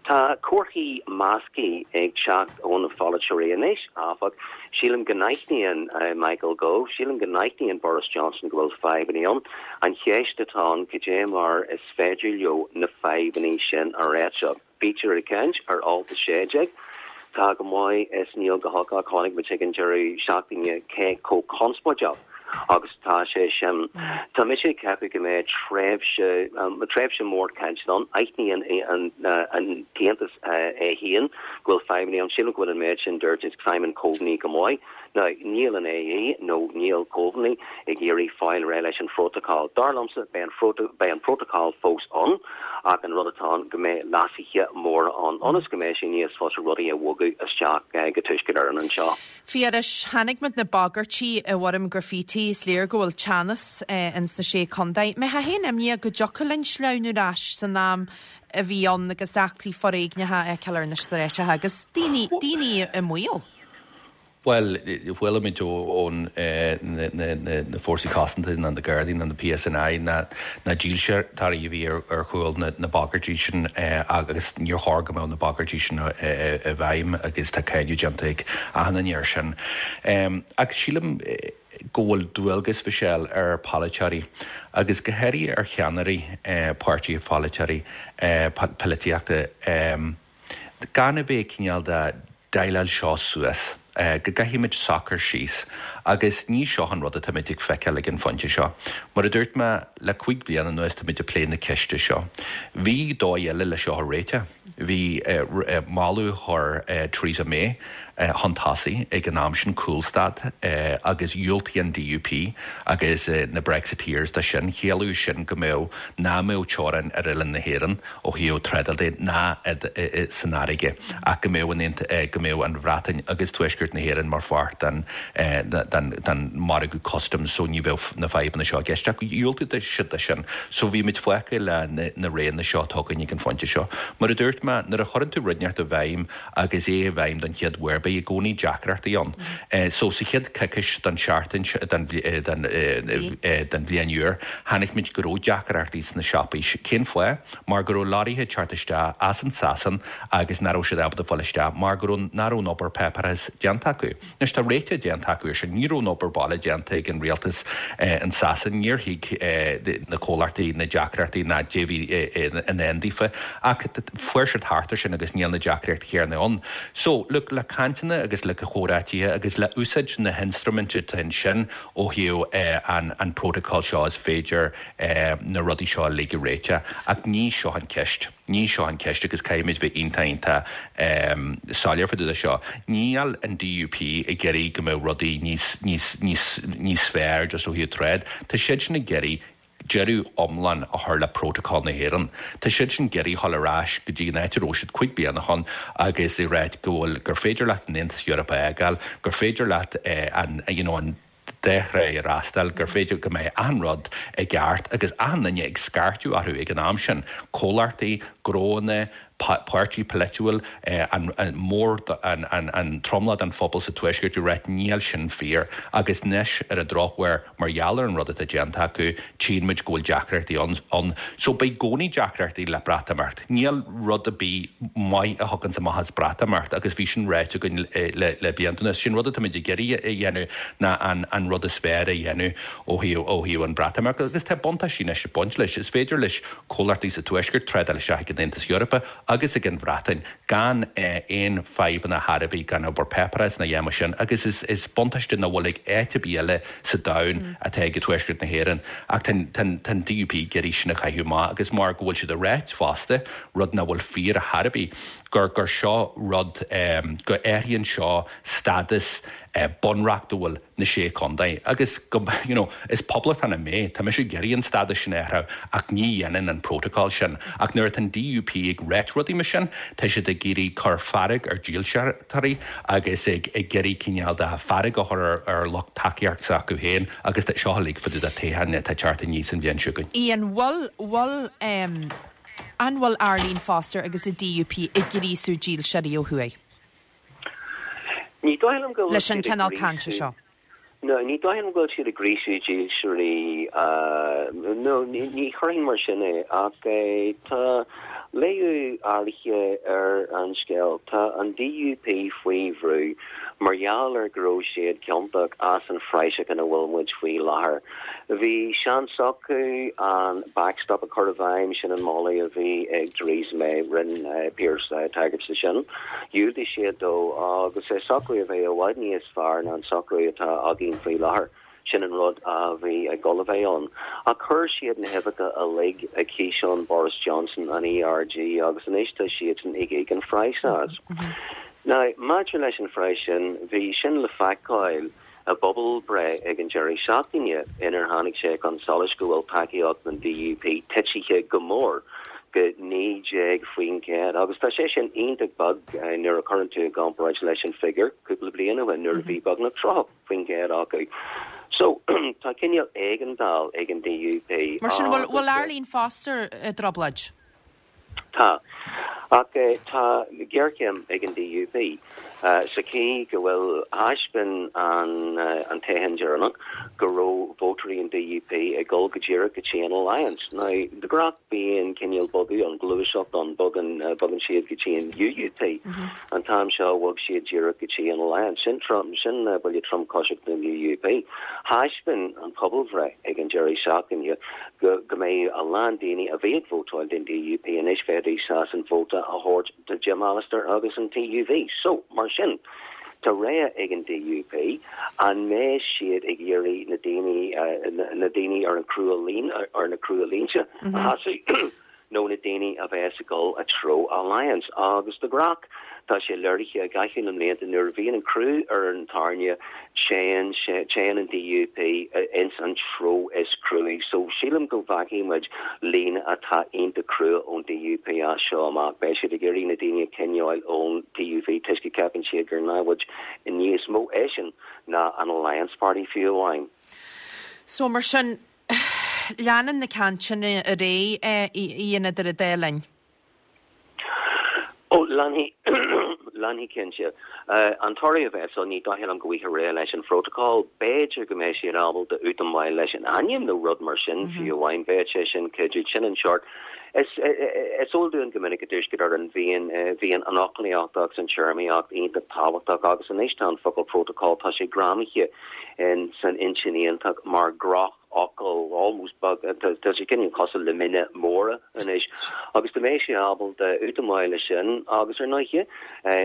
tá comharthaí measctha ag teacht ó na pholaiteoirí anois, áfach. Sílim go n-aithníonn Michael Gove, sílim go n-aithníonn Boris Johnson go bhfuil fadhbanna ann. An cheist atá ann, cad é mar is féidir leo na fadhbanna sin a réiteach? Bítear ag caint ar Alt 16. Tá go maith is níl go holc ach chonaic muid ag an deireadh seachtaine cé chomh conspóideach agus atá sé sin. Tá mise ag ceapadh go mbeidh tréimhse, tréimhse mór cainte ann. Aithníonn an tAontas é féin go bhfuil fadhbanna ann. Sílim go bhfuil an méid sin dúirt ag Simon Coveney go maith. Now, níl an AE nó níl Coveney ag iarraidh fáil réidh leis an phrótacal. Dar liomsa, beidh an, beidh an prótacal fós ann ach an rud atá ann go mbeidh leasuithe móra ann ionas go mbeidh sé níos fusa rudaí a bhogadh isteach go Tuaisceart Éireann anseo. Phiarais, Chonaic muid na bagairtí i bhfoirm graffiti, is léir go bhfuil teannas ins na Sé Contae. Mbeifeá féin imníoch go dtiocfadh linn sleamhnú ar ais san am a bhí ann agus eachtraí foréigneacha a fheiceáil ar na stráiceacha agus daoine, daoine i mbaol? Bhuel, chuala muid ó na Fórsaí Cosanta ná na Gardaí ná na PSNI ná na dílseoirí a bhí ar chúl na bagairtí sin agus níor chóir go mbeadh na bagairtí sin i bhfeidhm agus tá cáineadh déanta ag achan duine air sin. Ach sílim go bhfuil dualgas, Mhichelle, ar pholaiteoirí agus go háirithe ar cheannairí páirtithe pholaiteoirí polaitíochta gan a bheith cineál de déileáil seo suas, go gcaithfimid socrú síos agus ní seo an rud atáimid ag feiceáil ag an phointe seo. Mar a dúirt mé, le 5 bliana anuas táimid ag plé na ceiste seo. Bhí dóigh eile le seo a réiteach. Bhí moladh a chuir Theresa May chun tosaigh ag an am sin, cúlstad, agus dhiúltaigh an DUP agus na Brexiteers do sin. Chiallaigh sin go mbeadh, nach mbeadh teorainn ar oileán na hÉireann. ó thaobh trádáil de ná san fharraige ach go mbeadh an go mbeadh an Bhreatain agus Tuaisceart na hÉireann mar pháirt den den margadh custaim so ní bheadh na fadhbanna seo i gceist ach dhiúltaigh siad do sin so bhí muid fágtha le na roghanna seo atá againn ag an phointe seo. Mar a dúirt mé, nuair a chuireann tú rud inteacht i bhfeidhm agus é i bhfeidhm don chéad uair. Beidh i gcónaí deacrachtaí ann. So sa chéad coicís den seachtain, den den bhliain úr, chonaic muid go raibh deacrachtaí sna siopaí. Cén fáth? Mar go raibh lorraithe ag teacht isteach as an Sasain agus nach raibh siad ábalta fáil isteach mar go raibh nach raibh an obair páipéarachais déanta acu. Anois tá réiteach déanta acu ar sin. Ní raibh an obair baile déanta ag an rialtas in Sasain. Níor thuig na comhlachtaí na deacrachtaí ná caidé a bhí i ndán daofa. Ach fuair siad thart ar sin agus níl na deacrachtaí céanna ann. So, look, le cainteanna agus le comhráitithe agus le úsáid na hinstruiminte atá ansin ó thaobh an protocol seo is féidir na rudaí seo uilig a réiteach. Ach ní seo an ceist. Ní seo an ceist agus caithfimid bheith iontach iontach soiléir fá dtaobh de seo. Níl an DUP ag iarraidh go mbeadh rudaí níos níos níos níos fearr just ó thaobh trád. Tá siadsan ag iarraidh deireadh iomlán a chur le Protocol na hÉireann. Tá siadsan ag iarraidh dhul ar ais go dtí an áit a raibh siad cuig bliain ó shin agus ag ráit go bhfuil gur féidir leat an Aontas Eorpach a fhágáil, gur féidir leat an you know an dá thrá a fhreastal, gur féidir go mbeidh achan rud i gceart agus achan duine ag scairteadh orthu ag an am sin, comhlachtaí, gnóanna, páirtí polaitiúil, an mór, an tromlach den phobal sa Tuaisceart ag ráit níl sin fíor agus anois ar an drochuair mar gheall ar an rud atá déanta acu tchíonn muid go bhfuil deacrachtaí ann. So beidh i gcónaí deacrachtaí le Breatimeacht. Níl rud ar bith maith a thiocfas amach as Breatimeacht agus bhí sin ráite againn le le blianta anuas. Sin rud atáimid ag iarraidh a dhéanamh ná an an rud is fearr a dhéanamh ó thaobh ó thaobh an Breatimeacht agus tá buntáistí anois ag baint leis. Is féidir leis comhlachtaí sa Tuaisceart trádáil isteach ag an Aontas Eorpach agus ag an Bhreatain gan aon fadhbanna ar bith, gan obair páipéarachais ná a dhath mar sin agus is is buntáiste nach bhfuil ag áit ar bith eile sa domhan atá ag Tuaisceart na hÉireann. Ach tá an DUP ag iarraidh sin a chaitheamh amach agus mar go bhfuil siad ag ráit fosta, rud nach bhfuil fíor ar chor ar bith, gur gur seo rud go athraíonn seo stádas bunreachtúil na Sé Chontae agus go, you know, is poblachtánach mé, tá mise ag iarraidh an stádas sin a athrú ach ní dhéanann an protocol sin. Ach nuair atá an DUP ag ráit rudaí mar sin, tá siad ag iarraidh cur fearg ar dílseoirí agus ag ag iarraidh cineál de fearg a chur ar ar lucht tacaíocht s'acu féin agus seo uilig fá dtaobh de toghchán atá ag teacht aníos an bhliain seo chugainn. Ian, bhfuil, bhfuil, em, an bhfuil Arlene Foster agus an DUP ag gríosú dílseoirí ó thuaidh? Ní dóigh liom go bhfuil leis an siad ag cineál cainte gríosú seo. No, ní dóigh liom go bhfuil siad ag gríosú dílseoirí, no, ní chuirfinn mar sin é, ach tá léiriú áirithe ar an scéal. Tá an DUP faoi bhrú mar gheall ar go raibh siad ciontach as an phraiseach ina bhfuil muid faoi láthair. Bhí seans acu an backstop a chur i bhfeidhm, sin an moladh a bhí ag Theresa May, rinne Pearse tagairt de sin. Dhiúltaigh siad dó agus é socrú a bheith i bhfad níos fearr ná an socrú atá againn faoi láthair. Sin an rud a bhí ag dul a bheith ann. Ach chuir siad na huibheacha uilig i gciseán Boris Johnson, an ERG, agus anois tá siadsan ag íoc an phraghas as. Now, maidir leis an phraghas sin, bhí sin le feiceáil i bpobalbhreith ag an deireadh seachtaine inar tháinig sé chun solais go bhfuil tacaíocht an DUP titithe go mór go 19% agus tá sé sin iontach beag nuair a chuireann tú i gcomparáid leis an figiúr cúpla bliain ó shin nuair a bhí beagnach 30% acu. So, tá cineál éigeandáil ag an DUP Mar sin, bhfuil Arlene Foster i dtrioblóid? Tá. Ach tá géarchéim ag an DUP sa chaoi go bhfuil, thaispeáin an toghchán deireanach go raibh vótóirí an DUP ag dul go díreach go dtí an Alliance. Now, de ghnáth bíonn cineál bogadh ann, gluaiseacht ann, bogann, bogann siad go dtí an UUP. An t-am seo bhog siad díreach go dtí an Alliance. Sin trom, sin buille tromchúiseach don UUP. Thaispeáin an pobalbhreith ag an deireadh seachtaine go go mbeidh a lán daoine a bhí ag vótáil don DUP anois bheidís sásta an vóta a thabhairt do Jim Allister agus an TUV. So, mar sin, tá rogha ag an DUP, an mbeidh siad ag iarraidh na daoine na daoine ar an crua líne ar na crua línte a shásamh nó na daoine a bheas ag dul i dtreo Alliance. Agus de ghnáth, tá sé léirithe i gcaitheamh na mblianta nuair a bhíonn an crú ar an tairne, téann sé, téann an DUP ins an treo is cruaí. So sílim go bhfeicfidh muid líne atá iontach crua ón DUP as seo amach. Beidh siad ag iarraidh na daoine a choinneáil ón TUV toisc go gceapann siad gur namhaid níos mó é sin ná an Alliance Party fiú amháin. So mar sin, Leanann na cainteanna ar aghaidh, a Ian, idir an dá linn. Ó, leanfaidh. Leanfaidh cinnte. An toradh a bheas ann, ní dóigh liom go bhfaighfear réidh leis an phrótacal. B'fhéidir go mbeidh siad ábalta útamáil leis an ainm nó rud mar sin fiú amháin. Bheadh sé sin cuidiú. Sin an seort. Is eol dúinn go minic i dTuaisceart Éireann bhíonn bhíonn an fhoclaíocht agus an téarmaíocht iontach tábhachtach agus anois tá an focal protocol, tá sé greamaithe in san intinn iontach mar dhroch fhocal, almost beag, tá sé cineál cosúil le mine móra anois agus dá mbeadh sé ábalta útamáil leis sin agus ar ndóighe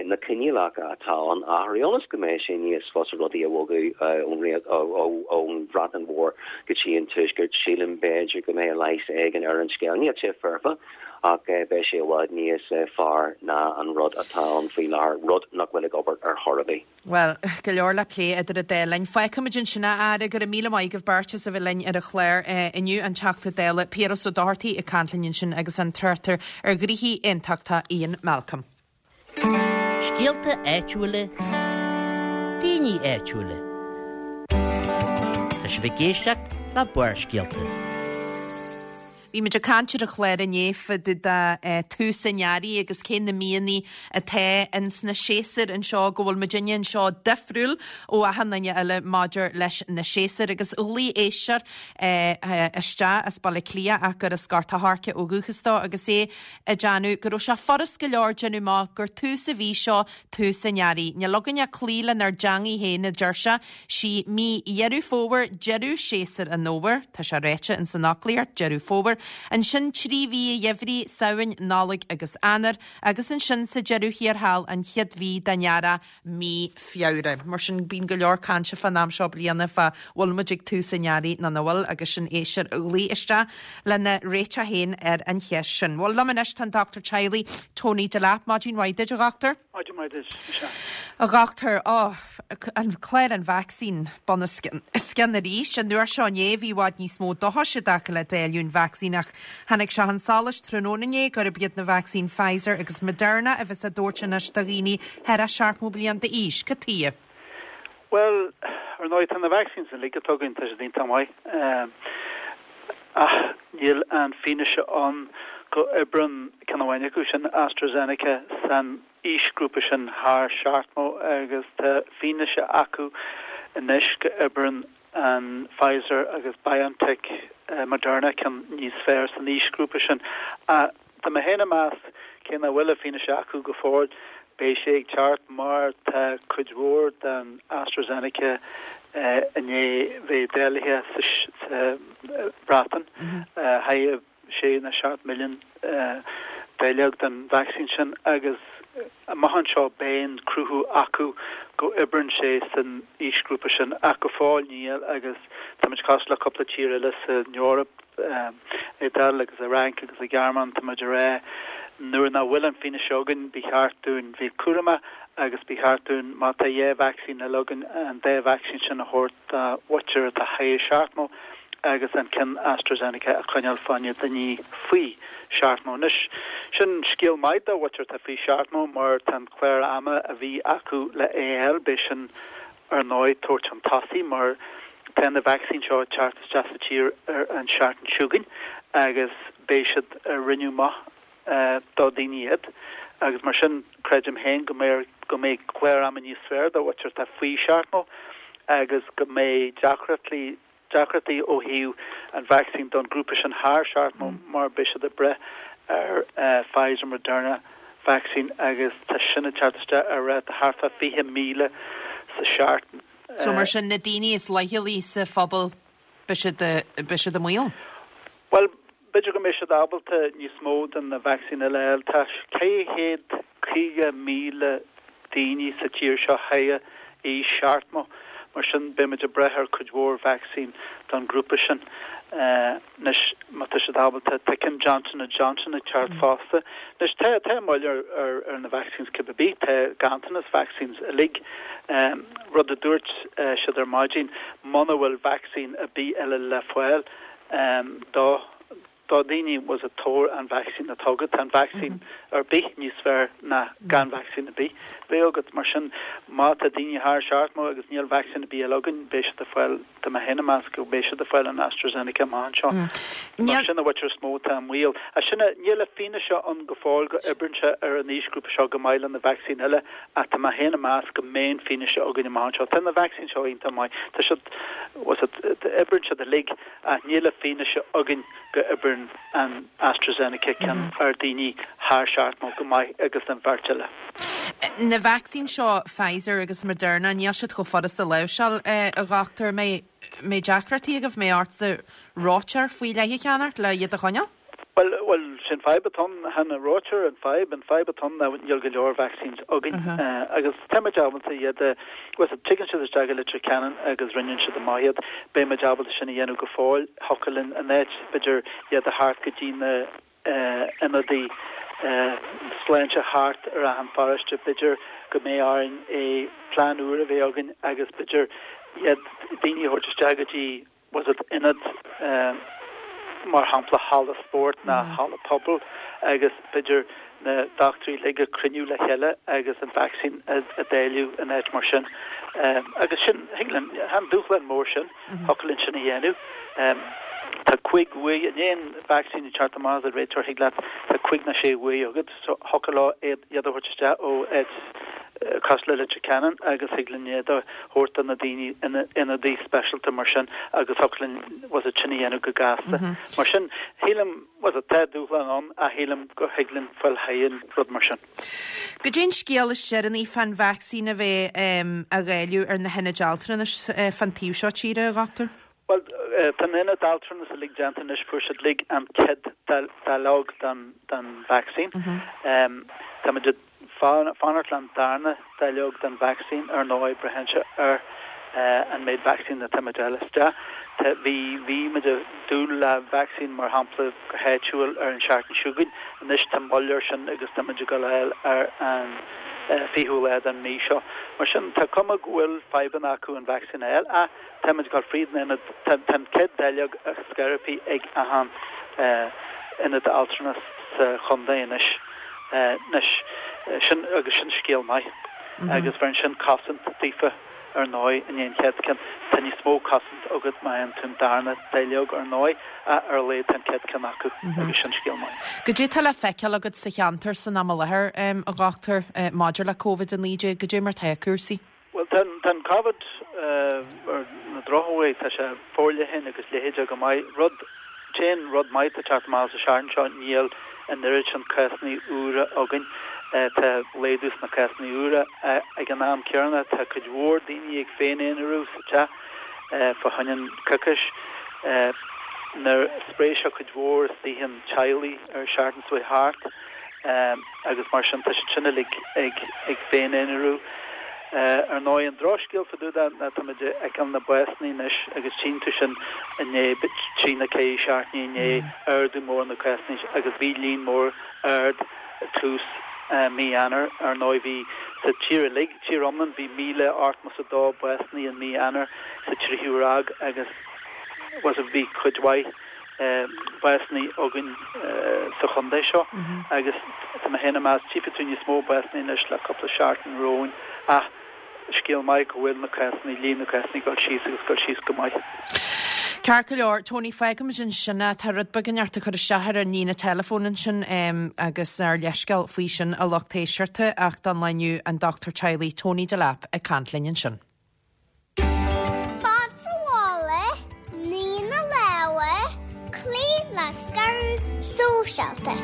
na coinníollacha atá ann a athrú ionas go mbeidh sé níos fusa rudaí a bhogadh ón ón Bhreatain Mhór go dtí an Tuaisceart, sílim b'fhéidir go mbeidh leigheas éigin ar an scéal. Níl sé foirfe ach beidh sé i bhfad níos fearr ná an rud atá ann faoi láthair, rud nach bhfuil ag obair ar chor ar bith. Bhuel, go leor le plé idir an dá linn. Fágfaimid ansin é, a Aire. Go raibh míle maith agaibh beirt as a bheith linn ar an chlár inniu, an Teachta Dála Piaras Ó Dochartaigh ag caint linn ansin agus an tráchtaire ar ghnoithí aontachtach Ian Malcolm. Scéalta áitiúla, daoine áitiúla. Tá sibh ag éisteacht le Barrscéalta. Bhí muid ag caint ar an chlár inné fá dtaobh de tús an earraigh agus cé na míonna atá ins na séasúir anseo, go bhfuil muidinne anseo difriúil ó achan duine eile maidir leis na séasúir agus ghlaoigh éisteoir isteach as Baile Átha Cliath ach gur as Gort a' Choirce ó dhúchas dó agus é ag déanamh go raibh sé furast go leor déanamh amach gur tús an mhí seo tús an earraigh. Níl againne cloí lenár dteangaidh féin a deir sé. Sí mí Dheireadh Fómhair deireadh séasúr an fhómhair, tá sé ráite ins an fhoclaíocht, Deireadh Fómhair, ansin 3 mhí an gheimhridh, Samhain, Nollaig agus Eanáir, agus ansin sa deireadh thiar thall an chéad mhí den earrach, mí Feabhra. Mar sin bíonn go leor cainte fán am seo bliana fá bhfuil muid ag tús an earraigh nó nach bhfuil agus sin éisteoir a ghlaoigh isteach lena réiteach féin ar an cheist sin. Bhuel, liom anois tá an Dochtúir Teaghlaigh, Tony Delap. Maidin mhaith duit, a dhochtúir. Maidin mhaith duit, Michelle. A dhochtúir, ó, an clár an vacsaín bunoscionn arís. An uair seo inné bhí i bhfad níos mó dóchais i dtaca le dáileadh an vacsaín ach tháinig sé chun solais tráthnóna inné gurb iad na vacsaín Pfizer agus Moderna a bheas á dtabhairt anois do dhaoine thar a 70 bliain d'aois. Cad tuighe? Bhuel, ar ndóigh, tá na vaccines uilig atá againn, tá siad iontach maith. Ach níl an fianaise ann go oibreann ceann amháin acu, sin AstraZeneca, san aoisghrúpa sin thar seachtmó agus tá fianaise acu anois go oibreann an Pfizer agus BioNTech, Moderna ceann níos fearr san aoisghrúpa sin. Ach tá mé féin ag meas, cé nach bhfuil an fianaise acu go fóill, beidh sé ag teacht mar tá cuid mhór den AstraZeneca i ndiaidh bheith dáilithe sa Bhreatain. Thar 6 nó 7 milliún dáileog den vacsaín sin agus amach anseo beidh an cruthú acu go oibreann sé san aoisghrúpa sin ach go fóill níl agus táimid cosúil le cúpla tír eile san Eoraip, Iodáil agus an Fhrainc agus an Ghearmáin, táimid ag rá nuair nach bhfuil an fianaise againn ba cheart dúinn bheith cúramach agus ba cheart dúinn má tá dhá vacsaín eile againn an dá vacsaín sin a thabhairt do mhuintir atá thar seachtmó. agus an ceann AstraZeneca a choinneáil fá choinne daoine faoi sheachtmó. Anois, sin scéal maith do mhuintir atá faoi sheachtmó mar tá an clár ama a bhí acu le é a fháil, beidh sin ar ndóigh tabhairt chun tosaigh mar tá na vacsaín seo ag teacht isteach sa tír ar an seachtain seo chugainn agus beidh siad ag roinneadh amach do daoine iad agus mar sin creidim féin go mbeidh go mbeidh clár ama níos fearr do mhuintir atá faoi sheachtmó agus go mbeidh deacrachtaí deacrachtaí ó thaobh an vacsaín don ghrúpa sin thar seachtmó mar beidh siad ag breith ar Pfizer Moderna vaccine agus tá sin ag teacht isteach ar ráta thart fá 20,000 sa seachtain. So mar sin na daoine is leithchealaí sa phobal beidh siad beidh siad i mbaol? Bhuel b'fhéidir go mbeidh siad ábalta níos mó den na vacsaín eile a fháil. Tá 450,000 daoine sa tír seo thar aois seachtmó, mar sin beidh muid ag brath ar cuid mhór vacsaín don ghrúpa sin. Anois má tá siad ábalta, tá ceann Johnson and Johnson ag teacht fosta. Anois tá, tá moill ar, ar, ar na vaccines cibé ar bith, tá ganntanas vaccines uilig. Rud a dúirt siad ar maidin, muna bhfuil vacsaín ar bith eile le fáil do. do dhaoine bhfuil a fhios agat tabhair an vacsaín atá agat, tá an vacsaín ar bith níos fearr ná gan vacsaín ar bith bheith agat. Mar sin má tá daoine thar 70 agus níl vacsaín ar bith eile againn beidh siad ag fáil, tá mé féin ag meas go mbeidh siad ag fáil an AstraZeneca amach anseo. Mar sin a mhuintir is mó atá i mbaol. Ach sin é, níl an fianaise ann go fóill go oibreann sé ar an aoisghrúpa seo go maith le na vacsaín eile ach tá mé féin ag meas go mbeidh an fianaise againn amach anseo. Tá na vacsaín seo iontach maith, tá siad, bhfuil a fhios agat, oibreann siad uilig. Ach níl an fianaise againn go oibreann an AstraZeneca ceann ar daoine thar 70 go maith agus an bheirt eile. Na vacsaín seo, Pfizer agus Moderna, níl siad chomh furasta a láimhseáil, a dhochtúir. An mbeidh deacrachtaí agaibh, an mbeidh ortsa reoiteoir faoi leith a cheannacht le iad a choinneáil? Bhuel, bhuel, sin fadhb atá ann, chan an reoiteoir an fadhb, an fadhb atá ann ná níl go leor vaccines againn agus tá muid ábalta iad a, bhuel, tigeann siad isteach i Leitir Ceanainn agus roinneann siad amach iad, beidh muid ábalta sin a dhéanamh go fóill, thiocfadh linn in áit, b'fhéidir, iad a thabhairt go dtí na ionadaí sláinte thart ar achan pharóiste, b'fhéidir go mbeidh orainn é plean úr a bheith againn agus b'fhéidir iad, daoine a thabhairt isteach go dtí bhfuil a fhios agat ionad, mar shampla halla spóirt ná halla pobail agus b'fhéidir na dochtúirí uilig ag cruinniú le chéile agus an vacsaín a dáileadh in áit mar sin. Agus sin, thig linn, chan dúshlán mór sin, thiocfadh linn sin a dhéanamh. Tá cúig uair, i ndiaidh an vacsaín ag teacht amach as an réiteoir, thig leat, tá cúig nó sé uair agat, so thiocfadh leo iad a thabhairt isteach ó áit cosúil le Leitir Ceanainn agus thig linn iad a thabhairt do na daoine in ionadaí speisialta mar sin agus thiocfadh linn bhfuil a fhios agat sin a dhéanamh go gasta. Mar sin, shílim, bhfuil a fhios agat, tá dúshlán ann ach shílim go thig linn fáil thar an rud mar sin. Goidé an scéal is deireanaí fán vacsaín a bheith á dháileadh ar na hionaid altranais fán taobh seo tíre, a dhochtúir? Bhuel, tá na hionaid altranais uilig déanta anois, fuair siad uilig an chéad dáileog den vacsaín. Táimid ag fanacht le an darna dáileog den vacsaín, ar ndóigh, braitheann sé ar an méid vacsaín atá muid a fháil isteach. Bhí, bhí muid ag dúil le vacsaín, mar shampla, go háitiúil ar an seachtain seo chugainn. Anois tá moill air sin agus tá muid ag dul a fháil ar an 20ú lá den mhí seo. Mar sin, tá cuma go bhfuil fadhbanna acu an vacsaín a fháil ach, Tá muid ag dul fríd an ionad, tá an chéad dáileog ar scor ar bith ag achan ionad altranais sa chontae anois. Anois, sin, agus sin scéal maith. Agus bheireann sin cosaint daofa ar ndóigh i ndiaidh an chéad ceann. Tá níos mó cosaint agat má fhaigheann tú an darna dáileog ar ndóigh, ach ar a laghad tá an chéad ceann acu agus sin scéal maith. Goidé tá le feiceáil agat sa cheantar san am i láthair, a dhochtúir, maidir le Covid-19, goidé mar tá cúrsaí? Bhuel, tá an Covid ar na drochuair, tá sé forleathan agus leithéide go maith. Rud, t-aon rud maith atá ag teacht amach as an seachtain seo, níl an oiread sin cásanna úra againn. Tá laghdú sna cásanna úra. Ag an am céanna, tá cuid mhór daoine ag féin-aonarú sa teach fá choinne an coicís. Nuair spréigh sé cuid mhór istigh in teaghlaigh ar an seachtain seo chuaigh thart. agus mar sin tá siad sin uilig ag féin-aonarú. Ar ndóigh, an drochscéal fá dtaobh de ná táimid ag feiceáil na básanna anois agus tchíonn tú sin i ndiaidh trí nó ceithre seachtainí i ndiaidh ardú mór na cásanna agus bhí líon mór ard ag tús mí Eanáir. Ar ndóigh bhí sa tír uilig, tír iomlán, bhí 1,082 básanna in mí Eanáir sa tríú ráig agus bhí cuid mhaith básanna againn sa chontae seo agus tá mé féin ag meas tchífidh tú níos mó básanna anois le cúpla seachtain romhainn ach scéal maith go bhfuil na cásanna, líon na cásanna ag dul síos agus ag dul síos go maith. Ceart go leor, Tony, fágfaimid ansin é. Tá rud beag ort a chur isteach ar an líne teileafóin ansin agus ár leithscéal faoi sin a lucht éisteachta ach don lá inniu an Dochtúir Teaghlaigh Tony Delap ag caint linn ansin. Fan sa bhaile, nigh na lámha, cloígh le scaradh sóisialta.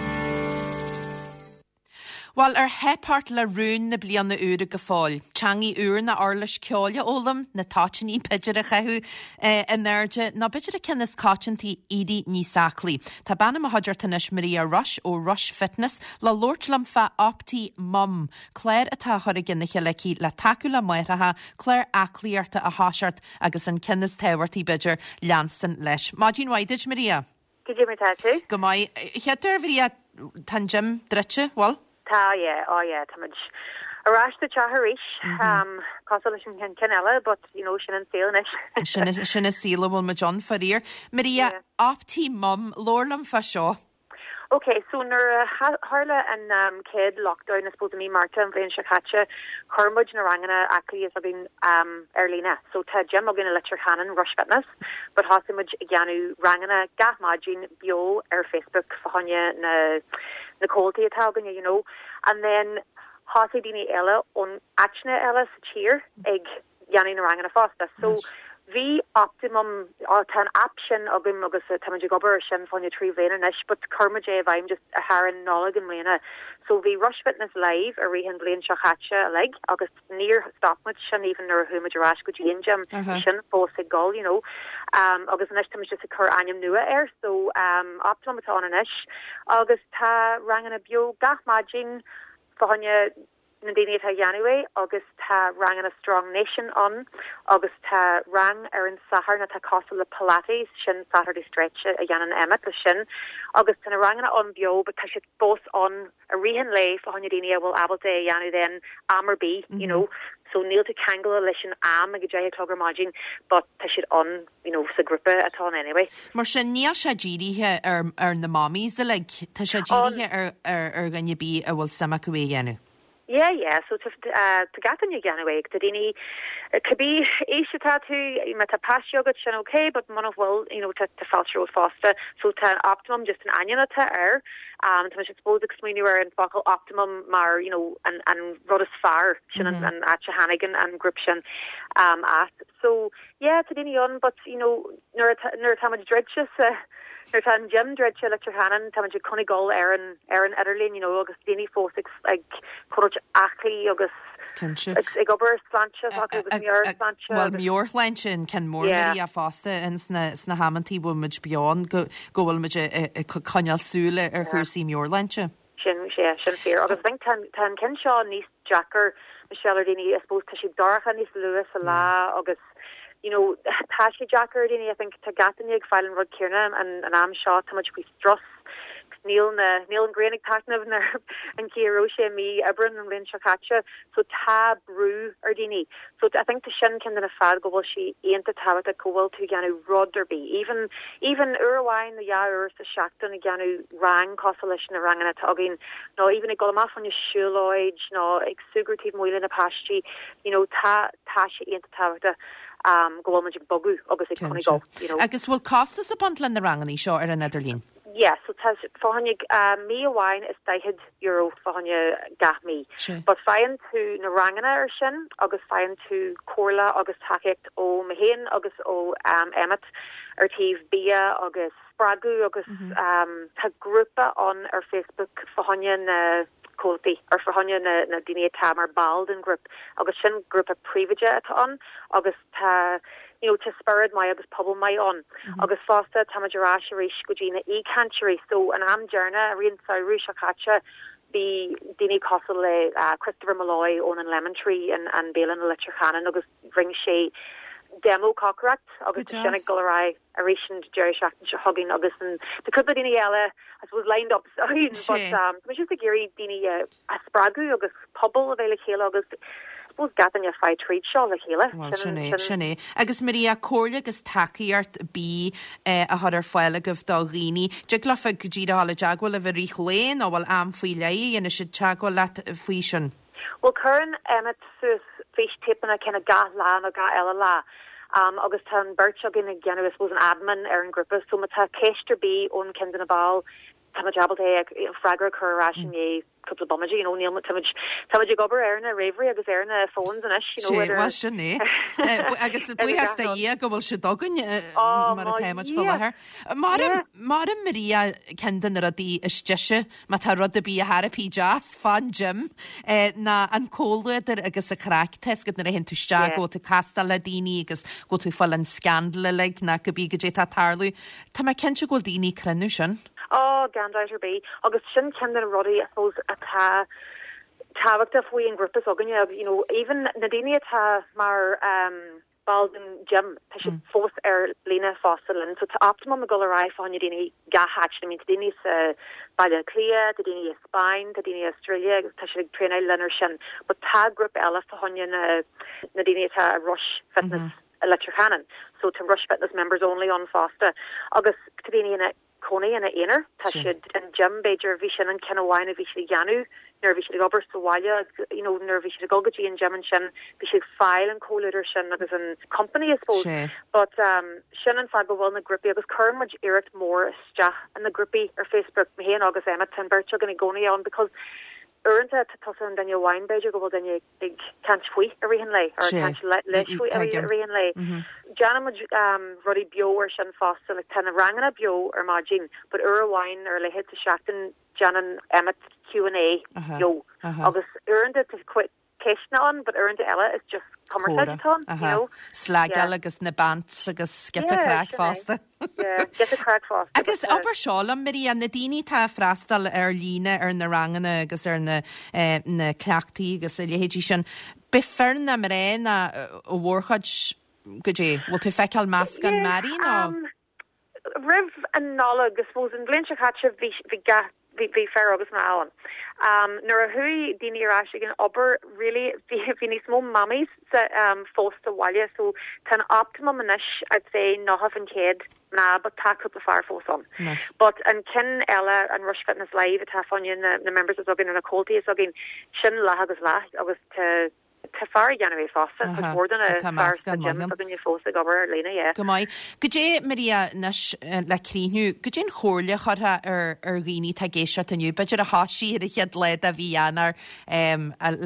Bhuel, ar theip ort le rúin na bliana úire go fóill? Teangaidh úr nó uirlis ceoil a fhoghlaim, na toitíní b'fhéidir a chaitheamh in airde, nó b'fhéidir an ceann is coitianta, éirí níos aclaí. Tá bean i mo chuideachta anois, Maria Rush ó Rush Fitness, le labhairt liom fá Opti Mum, Clár atá á chur i gcionn a chéile aici le tacú le máithreacha, clár aclaíochta a thoiseacht agus an ceann is tábhachtaí, b'fhéidir, leanstan leis. Maidin mhaith duit, Maria. Cad é mar tá tú? Go maith. Chéad uair, Mharia, tá an gym druidte, bhfuil? Tá, yeah, oh yeah, tá muid. Ar ais sa teach arís, cosúil leis an ceann eile, but you know, sin an saol anois. Sin sin an saol a bhfuil muid ann, faraor. Maria, Optimum, labhair liom fá seo. Ok, so nuair a tharla an chéad lockdown, I suppose i mí Márta an bhliain seo caite, chuir muid na ranganna aclaí s'againn ar líne. So tá gym againn i Leitir Ceanainn, Rush Fitness, but thosaigh muid ag déanamh ranganna gach maidin beo ar Facebook fá choinne na na comhaltaí atá againne, you know. And then thosaigh daoine eile ón áiteanna eile sa tír ag dhéanamh na ranganna fosta. So bhí Optimum, tá an app sin againn agus táimid ag obair ar sin fá choinne 3 bhliain anois but chuir muid é i bhfeidhm just thar an Nollaig i mbliana. So bhí Rush Fitness Live i rith an bhliain seo chaite uilig agus níor stop muid sin even nuair a chuaigh muid ar ais go dtí an gym, bhí sin fós ag dul you know. Agus anois táimid just ag cur ainm nua air so Optimum atá ann anois agus tá ranganna beo gach maidin fá choinne na daoine atá a dhéanamh é agus tá ranganna Strong Nation ann agus tá rang ar an Satharn atá cosúil le Pilates, sin Saturday Stretch a dhéanann Emmet leis sin agus tá na ranganna ann beo but tá siad fós ann i rith an lae fá choinne daoine a bhfuil ábalta é a dhéanamh then am ar bith you know so níl tú ceangailte leis an am ag 10 a chlog ar maidin but tá siad ann you know sa grúpa atá ann anyway. Mar sin níl sé dírithe ar ar na mommies uilig, tá sé dírithe ar ar ar dhuine ar bith a bhfuil suim acu é a dhéanamh. Yeah, yeah, so tá tá gach duine ag déanamh é, tá daoine, cibé aois atá tú, má tá páistí agat sin ok, but muna bhfuil, you know, tá tá fáilte romhat fosta. So tá Optimum just an ainm atá air, um, tá mise I suppose ag smaoineamh ar an focal optimum mar, you know, an an rud is fearr, sin an an áit a tháinig an an grúp sin um, as. So, Yeah, tá daoine ann but, you know, nuair atá, nuair atá muid druidte sa, nuair atá an gym druidte i Leitir Ceanainn, tá muid ag coinneáil dul ar an, ar an idirlíon, you know, agus daoine fós ag, ag coinneáil aclaí agus Cinnte. ag, ag obair ar sláinte s'acu agus meabhairshláinte Bhuel, agus. meabhairshláinte an ceann mór Yeah. Maria fosta ins na, sna hamantaí bhfuil muid beo ann go, go bhfuil muid ag, ag coinneáil súil ar Yeah. chúrsaí meabhairshláinte. Sin, yeah, sin fíor. Agus I think tá, tá an ceann seo níos deacair, Michelle, ar daoine, I suppose, tá sé dorcha níos luath sa lá agus, you know, tá sé deacair ar daoine, I think, tá gach duine ag fáil an rud céanna an, an am seo, tá muid faoi strus, níl na, níl an ghrian ag taitneamh ar an chaoi a raibh sé i mí Aibreán an bhliain seo caite, so tá brú ar daoine. So I think tá sin ceann de na fáth go bhfuil sé iontach tábhachtach go bhfuil tú ag déanamh rud ar bith, even, even uair amháin nó dhá uair sa seachtain ag déanamh rang cosúil leis na ranganna atá againn nó even ag dul amach fá choinne siúlóid nó ag súgradh taobh amuigh le na páistí, you know, tá, tá sé iontach tábhachtach um go bhfuil muid ag bogadh agus ag Cinnte. coinneáil, you know. Agus bhfuil costas ag baint le na ranganna seo ar an idirlíon? Yeah, so tá fá choinne mí amháin is €40 fá choinne gach mí. Sea. But faigheann tú na ranganna ar sin agus faigheann tú comhairle agus tacaíocht ó mé féin agus ó Emmet ar taobh bia agus spreagadh agus tá grúpa ann ar Facebook fá choinne na comhaltaí or fá choinne na na daoine atá mar ball den ghrúp agus sin grúpa príobháideach atá ann agus tá you know tá spiorad maith agus pobal maith ann agus fosta táimid ar ais arís go dtí na aoichainteoirí so an am deireanach i rith an samhradh seo caite bhí daoine cosúil le Christopher Molloy ón an Lemon Tree an an bialann i Leitir Ceanainn agus rinne sé demo cócaireacht agus tá sin ag dul ar aghaidh arís an deireadh seachtaine seo chugainn agus an tá cúpla daoine eile I suppose lined up but tá muid just ag iarraidh daoine a a spreagadh agus pobal a bheith le chéile agus I suppose gach duine ag fáil tríd seo le chéile. Bhuel, sin é, sin é. Agus Maria, comhairle agus tacaíocht bídh á chur ar fáil agaibh do dhaoine. Dtig leofa go díreach dul i dteagmháil libh i rith an lae nó bhfuil am faoi leith a dhéanfaidh siad teagmháil leat faoi sin? Bhuel, cuireann Emmet suas fístéipeanna kind of gach lá nó gach eile lá agus tá an bheirt againn ag déanamh I suppose an admin ar an ghrúpa so má tá ceist ar bith ón ceann de na baill Tá muid ábalta é freagra a chur ar ais i ndiaidh cúpla bomaite, you know, níl muid, tá muid, tá muid ag obair ar na ríomhairí agus ar na phones anois, you know, Sé, idir bhuel sin é. Agus idir buíochas gach do rud. Dhia go bhfuil siad againn Oh, mar mo atá muid faoi Dhia! láthair. Mar, Yeah. mar Maria, ceann de na rudaí is deise, má tá rud ar bith ar chor ar bith deas fán gym, ná an comhluadar agus an chraic. Tá fhios agat nuair a théann tú isteach Yeah. go bhfuil tú ag castáil le daoine agus go bhfuil tú ag fáil an scandal uilig ná cibé goidé atá ag tarlú. Tá mé cinnte go bhfuil daoine ag cruinniú sin. Ó, gan dabht ar bith. Agus sin ceann de na rudaí, I suppose, atá tábhachtach faoi an ghrúpa s'againne, you know, even na daoine atá mar ehm. ball den gym, tá siad fós ar líne fosta linn. So tá Optimum ag dul ar aghaidh fá choinne daoine gach áit. I mean tá daoine sa Baile Átha Cliath, tá daoine i Spain, tá daoine i Australia agus tá siad ag traenáil linn ar sin. But tá grúpa eile fá choinne na na daoine atá i Rush Fitness i Leitir Ceanainn. So tá Rush Fitness Members Only ann fosta. Agus tá daoine ina cónaí ina aonar. Tá siad, an gym b'fhéidir, bhí sin an ceann amháin a bhí siad a dhéanamh nuair a bhí siad ag obair sa bhaile agus you know nuair a bhí siad ag dul go dtí an gym ansin bhí siad ag fáil an comhluadar sin agus an company I suppose. But um sin an fáth go bhfuil na grúpaí agus cuireann muid iarracht mór isteach in na grúpaí ar Facebook, mé féin agus Emmet, tá an bheirt againn i gcónaí ann because uaireanta tá tusa an duine amháin b'fhéidir go bhfuil duine ag caint faoi i rith an lae, or ag caint leis faoi i rith an lae. Déanann muid rudaí beo ar sin fosta, like tá na ranganna beo ar maidin, but uair amháin ar a laghad sa seachtain déanann Emmet Q and A beo. Agus uaireanta tá ceisteanna ann, but uaireanta eile it's just cumarsáid atá ann, you know. Slagáil agus na bants agus giota craic fosta. Agus abair seo liom, Maria, na daoine atá ag freastal ar líne ar na ranganna agus ar na na cleachtaí agus a leithéidí sin, b'é fir ná mná ná a mhórchuid goidé, bhfuil tú ag feiceáil meascán mearaí nó? Roimh an Nollaig, I suppose, an bhliain seo caite bhí bhí gach bhí bhí fir agus mná ann. Nuair a chuaigh daoine ar ais ag an obair really bhí bhí níos mó mammies sa fós sa bhaile so tá an optimum anois I'd say 90% mná but tá cúpla fear fós ann. But an ceann eile an Rush Fitness Live atá fá choinne na na members is againn nó na comhaltaí is againn sin leath agus leath agus tá Tá fear ag déanamh é fosta, cuid mhór de na So tá fear sa meascán maith gym ann. s'againne fós ag obair ar líne, yeah. Go maith. Goidé, Maria, anois le críochnú, goidé an chomhairle a chuirfeá ar ar dhaoine atá ag éisteacht inniu, b'fhéidir a thoisigh ar an chéad lá de mhí Eanáir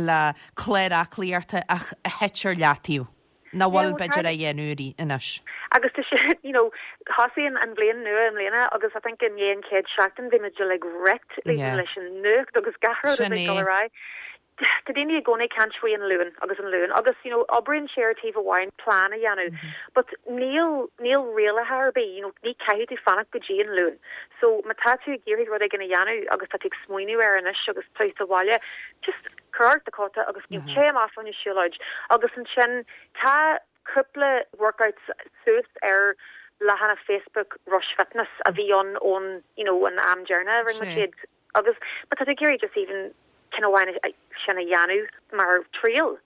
le clár aclaíochta ach a thit ar leataobh, nach Yeah, bhfuil well b'fhéidir tá á dhéanamh anois? Agus tá sé, you know, thosaigh an an bhliain nua i mbliana agus I think i ndiaidh an chéad seachtain bhí muid uilig wrecked Yeah. leis an nuacht agus gach rud a Sin bhí ag dul é. ar aghaidh. Tá daoine i gcónaí ag caint faoi an Luan agus an Luan agus you know oibríonn sé ar taobh amháin plean a dhéanamh but níl níl rialacha ar bith you know ní caithfidh tú fanacht go dtí an Luan so má tá tú ag iarraidh rud éigin a dhéanamh agus tá tú ag smaoineamh air anois agus tú sa bhaile just cuir ort do chóta agus you know téigh amach fá choinne siúlóid agus ansin tá cúpla workouts suas ar leathanach Facebook Rush Fitness a bhí ann ón you know an am deireanach a rinne muid iad. Agus má tá tú ag iarraidh just even ceann amháin sin a dhéanamh mar triail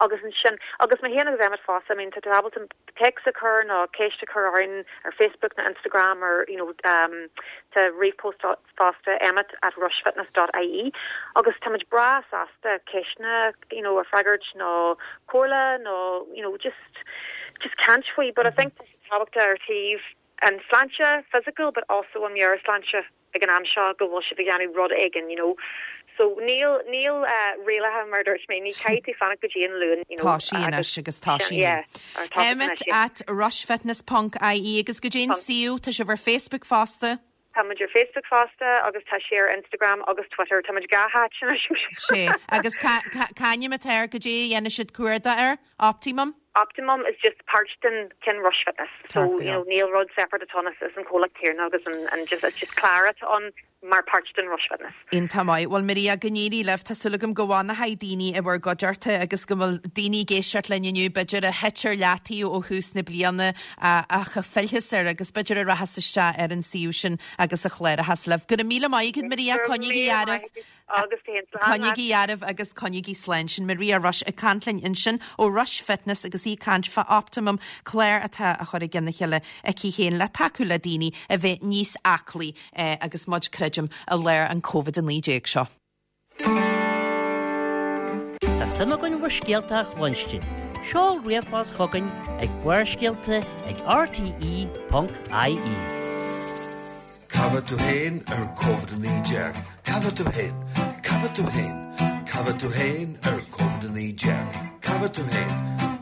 agus ansin, agus mé féin agus Emmet fosta, I mean tá tú ábalta téacs a chur nó ceist a chur orainn ar Facebook nó Instagram or you know um tá ríomhphost fosta emmet at rushfitness dot ie agus tá muid breá sásta ceisteanna you know a freagairt nó comhairle nó you know just just caint faoi but I think tá sé tábhachtach ar taobh an sláinte physical but also an meabhairshláinte ag an am seo go bhfuil sibh ag déanamh rud éigin you know so níl níl rialacha mar a dúirt mé ní caithfidh tú fanacht go dtí an Luan you know Tá sí anois agus tá sí yeah or tá sí Emmet anois yeah. at rushfitness ponc ie agus goidé an suíomh tá sibh ar Facebook fosta? Tá muid ar Facebook fosta agus tá sé ar Instagram agus Twitter tá muid gach áit anois. Sé agus cá cá c'ainm atá air goidé a dhéanfaidh siad cuardach air? Optimum? Optimum is just páirt den ceann Rush Fitness so you know níl rud separate atá ann is an comhlacht céanna agus an an just it's just clár atá ann mar páirt den Rush Fitness. Iontach maith. Bhuel Maria, go n-éirí libh. Tá súil agam go bhfanfaidh daoine i bhur gcuideachta agus go bhfuil daoine ag éisteacht linn inniu b'fhéidir a thit ar leataobh ó thús na bliana ach a phillfeas air agus b'fhéidir a rachas isteach ar an suíomh sin agus a chlárachas libh. Go raibh míle maith agat Maria, Go raibh coinnígí míle dearbh. maith agat. Agus tú féin slán Coinnígí dearbh agus coinnígí slán. Sin Maria Rush ag caint linn ansin ó Rush Fitness agus í ag caint fá Optimum, clár atá á chur i gcionn a chéile aici féin le tacú le daoine a bheith níos aclaí agus muid, creidim, i lár an Covid-19 seo. Tá suim againn bhur scéalta a chluinstin. Seol ríomhphost chugainn ag barrscéalta ag rte.ie. Cá bhfuil tú féin ar Covid-19? Cá bhfuil tú féin? Cá bhfuil tú féin? Cá bhfuil tú féin ar Covid-19? Cá bhfuil tú féin?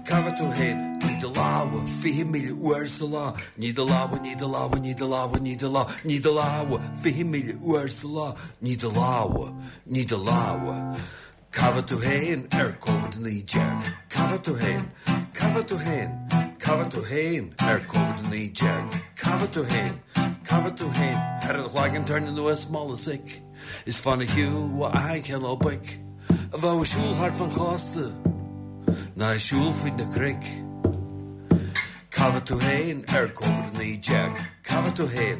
Cá bhfuil tú féin? Nigh do lámha 20,000 uair sa lá. Nigh do lámha, nigh do lámha, nigh do lámha, nigh do lámha, nigh do lámha 20,000 uair sa lá. Nigh do lámha, nigh do lámha. Cá bhfuil tú féin ar Covid-19? Cá bhfuil tú féin? Cá bhfuil tú féin? Cá bhfuil tú féin ar Covid-19? Cá bhfuil tú féin? Cá bhfuil tú féin? Ar do chloigeann tarraing anuas mála soic Is fan ar shiúl ó achan chineál boic A bheadh ag siúl thart fan chósta Ná ag siúl fríd na cnoic. Cá bhfuil tú fhéin ar Covid-19? Cá bhfuil tú fhéin?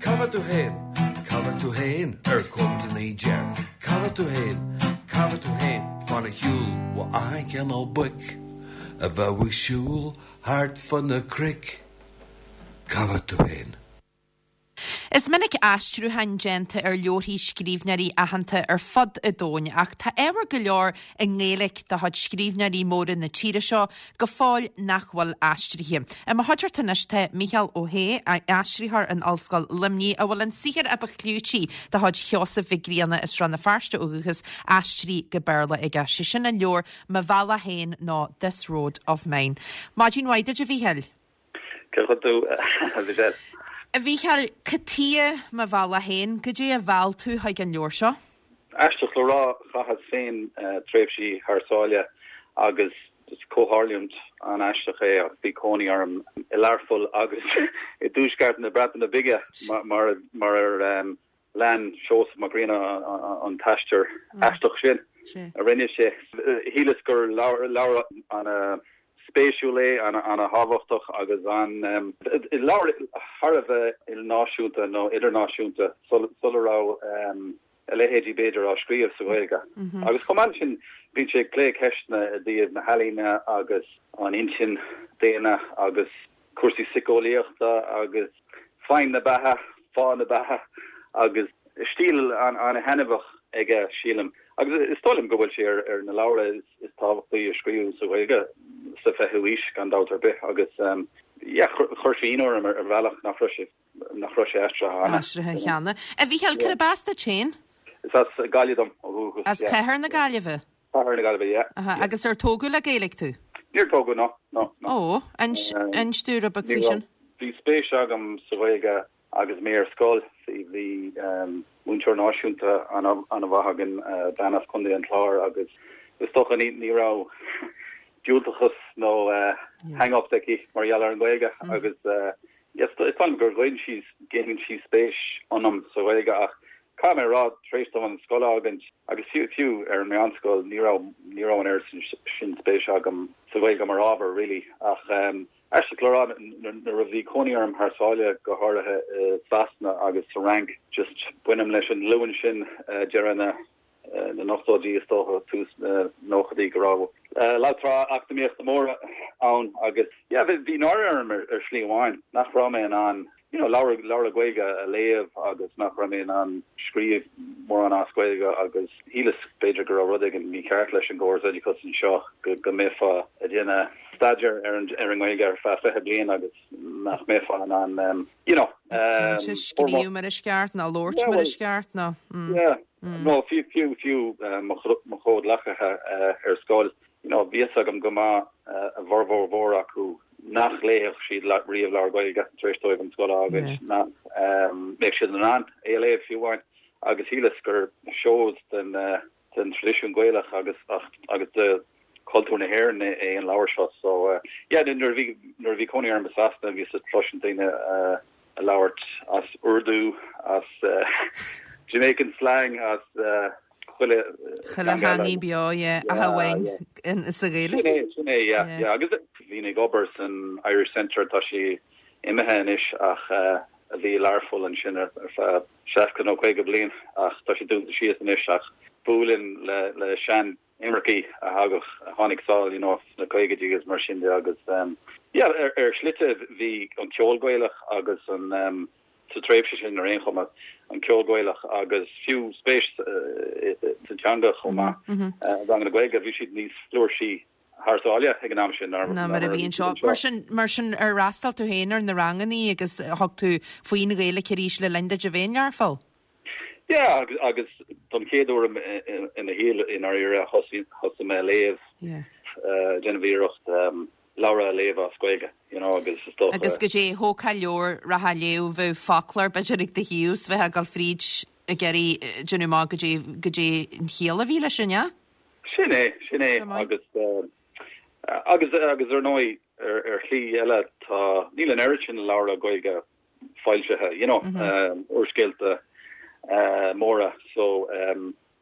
Cá bhfuil tú fhéin? Cá bhfuil tú fhéin ar Covid-19? Cá bhfuil tú fhéin? Cá bhfuil tú fhéin? Fan ar shiúl ó achan chineál boic a bheadh ag siúl thart fá na cnoic. Cá bhfuil tú fhéin? Is minic aistriúcháin déanta ar leabharthaí scríbhneoirí aitheanta ar fud an domhain ach tá ábhar go leor i nGaeilge de chuid scríbhneoirí móra na tíre seo go fóill nach bhfuil aistrithe. I mo chuideachta anois tá Mícheál Ó hAodha, aistritheoir in Ollscoil Luimnigh, a bhfuil an saothar a ba chlúití de chuid Sheosaimh Mhic Grianna as Srath na Feirste ó dhúchas aistrithe go Béarla aige, sé sin an leabhar Mo Bhealach Féin nó This Road of Mine. Maidin mhaith duit a Mhíchíl. Cén chaoi a bhfuil tú, a Mhichelle? A Mhíchíl, cad chuige Mo Bhealach Féin? Goidé a mheall tú chuig an leabhar seo? Aisteach le rá, chaitheas féin tréimhsí thar sáile agus is comhtharlúint an-aisteach é ach bhí cónaí orm i Learpholl agus i dtuaisceart na Breataine Bige mar ar Lean Seosamh Mac Grianna an t-aistear aisteach sin a rinne sé. Shíleas gur leabhar an-spéisiúil é, an-thábhachtach agus an leabhar thar a bheith ilnáisiúnta nó idirnáisiúnta sula raibh a leithéidí b'fhéidir á scríobh sa Ghaeilge. Agus chomh maith leis sin bíonn sé ag plé ceisteanna i dtaobh na healaíne agus an intinn daonna agus cúrsaí síceolaíochta agus feidhm na beatha, fáth na beatha agus stíl an-thaitneamhach aige, sílim. Agus is dóigh liom go bhfuil sé ar na leabhra is tábhachtaí a scríobhadh sa Ghaeilge sa 20ú haois, gan dabht ar bith. Agus yeah, chuir sé ionadh orm ar bhealach nach raibh sé nach raibh sé aistrithe cheana. Aistrithe cheana. A Mhíchíl, cárb as duit féin? Is as Gaillimh dom ó dhúchas. As cathair na Gaillimhe? Cathair na Gaillimhe, yeah. Aha, agus ar tógadh le Gaeilge tú? Níor tógadh, no, no, no. Ó, inis dúinn rud beag faoi sin. Bhí spéis agam sa Ghaeilge agus mé ar scoil. Bhí múinteoir náisiúnta an-mhaith againn, bean as Contae an Chláir agus is dócha ní raibh diúltachas nó hang-ups aici mar gheall ar an Ghaeilge agus is dóigh liom gur ghin sí, ghin sí spéis ionam sa Ghaeilge ach Caithfidh mé a rá, tar éis dom an scoil a fhágaint, agus fiú, fiú ar an meánscoil, ní raibh, ní raibh an oiread sin spéise agam sa Ghaeilge mar ábhar, really. Ach aisteach le rá, nuair a bhí cónaí orm thar sáile, go háirithe i Sasana agus sa Fhrainc, just bainim leis an nglúin sin, deireadh na, na n-ochtóidí is dócha, tús na nóchaidí, go raibh lagtrá eacnamaíochta móra ann agus yeah bhí náire orm ar shlí amháin nach raibh mé in ann you know leabhra leabhra Gaeilge a léamh agus nach raibh mé in ann scríobh mórán as Gaeilge agus shíleas b'fhéidir go raibh rud éigin mícheart leis an gcóras oideachais anseo go go mbeifeá ag déanamh staidéar ar an ar an nGaeilge ar feadh 20 bliain agus nach mbeifeá in ann you know Cinnte, scríobh mar is ceart ná labhairt mar is ceart ná Yeah nó fiú fiú fiú mo chomhghleacaithe ar scoil you know bhí fhios agam go maith a bhformhór mhór acu nach léifeadh siad riamh leabhar Gaeilge tar éis dóibh an scoil a fhágaint, nach mbeadh siad in ann é a léamh fiú amháin agus shíleas gur seoid den den traidisiún Gaelach agus agus de chultúr na hÉireann é an leabhar seo. So yeah nuair a bhí nuair a bhí cónaí orm i Sasana bhíos ag cloisint daoine ag labhairt as Urdu, as Jamaican slang, as chuile Chuile theangaidh beo, yeah, ach amháin sa Ghaeilge. Sin é, sin é, yeah, yeah. Agus bhínn ag obair san Irish Centre, tá sé imithe anois ach a bhí i Learpholl ansin ar feadh 60 nó 50 bliain ach tá sé dúnta síos anois ach buailinn le le sean imircigh a thagadh a tháinig sall you know sna caogaidí agus mar sin de agus yeah ar ar shlite bhí an ceol Gaelach agus an um, sa tréimhse sin ar aon chuma an ceol Gaelach agus fiú spéis sa teanga chomh maith ranganna Gaeilge bhí siad níos flúirsí thar sáile ag an am sin ná mar a bhí anseo. Mar sin, mar sin, ar fhreastail tú féin ar na rangannaí agus thug tú faoin Ghaeilge arís le linn duit a bheith in Learpholl? Yeah, agus, agus don chéad uair i mo shaol i ndáiríre thosaigh, thosaigh mé a léamh, déanamh iarracht leabhra a léamh as Gaeilge, you know, agus is dócha. Agus goidé, thógfá leabhar, rachfá a léamh, bheadh foclóir b'fhéidir ag do thaobh 's bheifeá ag dul fríd ag iarraidh déanamh amach goidé, goidé an chiall a bhí leis sin, yeah? Sin é, sin é, agus, agus, agus ar ndóigh, ar, ar shlí eile, tá, níl an oiread sin leabhra Gaeilge foilsithe, you know, úrscéalta móra, so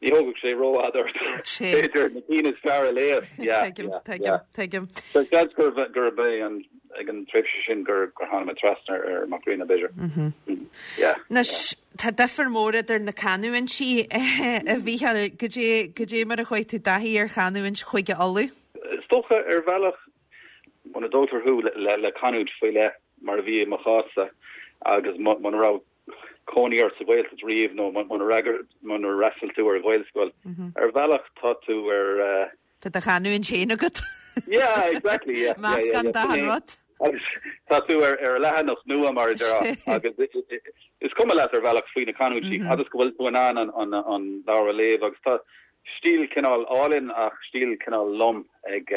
ní thógfadh sé rófhada ort, b'fhéidir, na cinn is fearr a léamh. Yeah, Tuigim, tuigim, tuigim. So seans gurb, gurb é an. ag an tréimhse sin gur tháinig mé trasna ar Mac Grianna, b'fhéidir. Yeah. Anois, tá difear mór idir na canúintí, a Mhícheáil. Goidé, goidé mar a chuaigh tú i dtaithí ar chanúint Chúige Uladh? Is dócha, ar bhealach, muna dtógtar thú le canúint faoi leith, mar a bhí i mo chás-sa, agus muna raibh cónaí ort sa Ghaeltacht riamh nó muna fhreastail tú ar Ghaelscoil, ar bhealach tá tú ar. Tá do chanúint féin agat. Yeah, exactly, yeah. Meascán d'achan rud. Agus tá tú ar leathanach nua, mar a déarfá, agus is cuma leat ar bhealach faoi na canúintí, agus go bhfuil tú in ann an leabhar a léamh agus tá stíl cineál álainn ach stíl cineál lom ag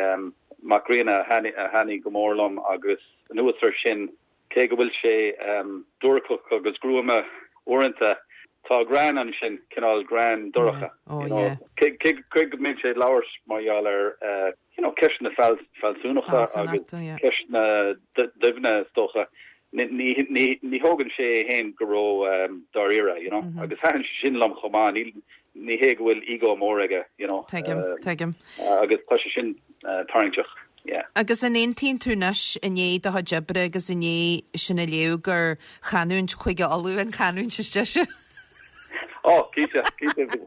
Mac Grianna a thaitnigh go mór liom agus anuas air sin, Cé go bhfuil sé duairceach agus gruama uaireanta, tá greann ansin, cineál greann dorcha, you know. Cé go mbíonn sé ag labhairt mar gheall ar, you know, ceisteanna fealsúnachta agus ceisteanna doimhne, is dócha, ní thógann sé é féin go ró-dáiríre, you know. Agus thaitin sé sin liom chomh maith. Ní hé go bhfuil ego mór aige, you know. Tuigim, tuigim. Agus tá sé sin tarraingteach, yeah. Agus an aontaíonn tú anois, i ndiaidh do chuid oibre agus i ndiaidh sin a léamh, gur chanúint Chúige Uladh an chanúint is deise? Oh, cinnte, cinnte.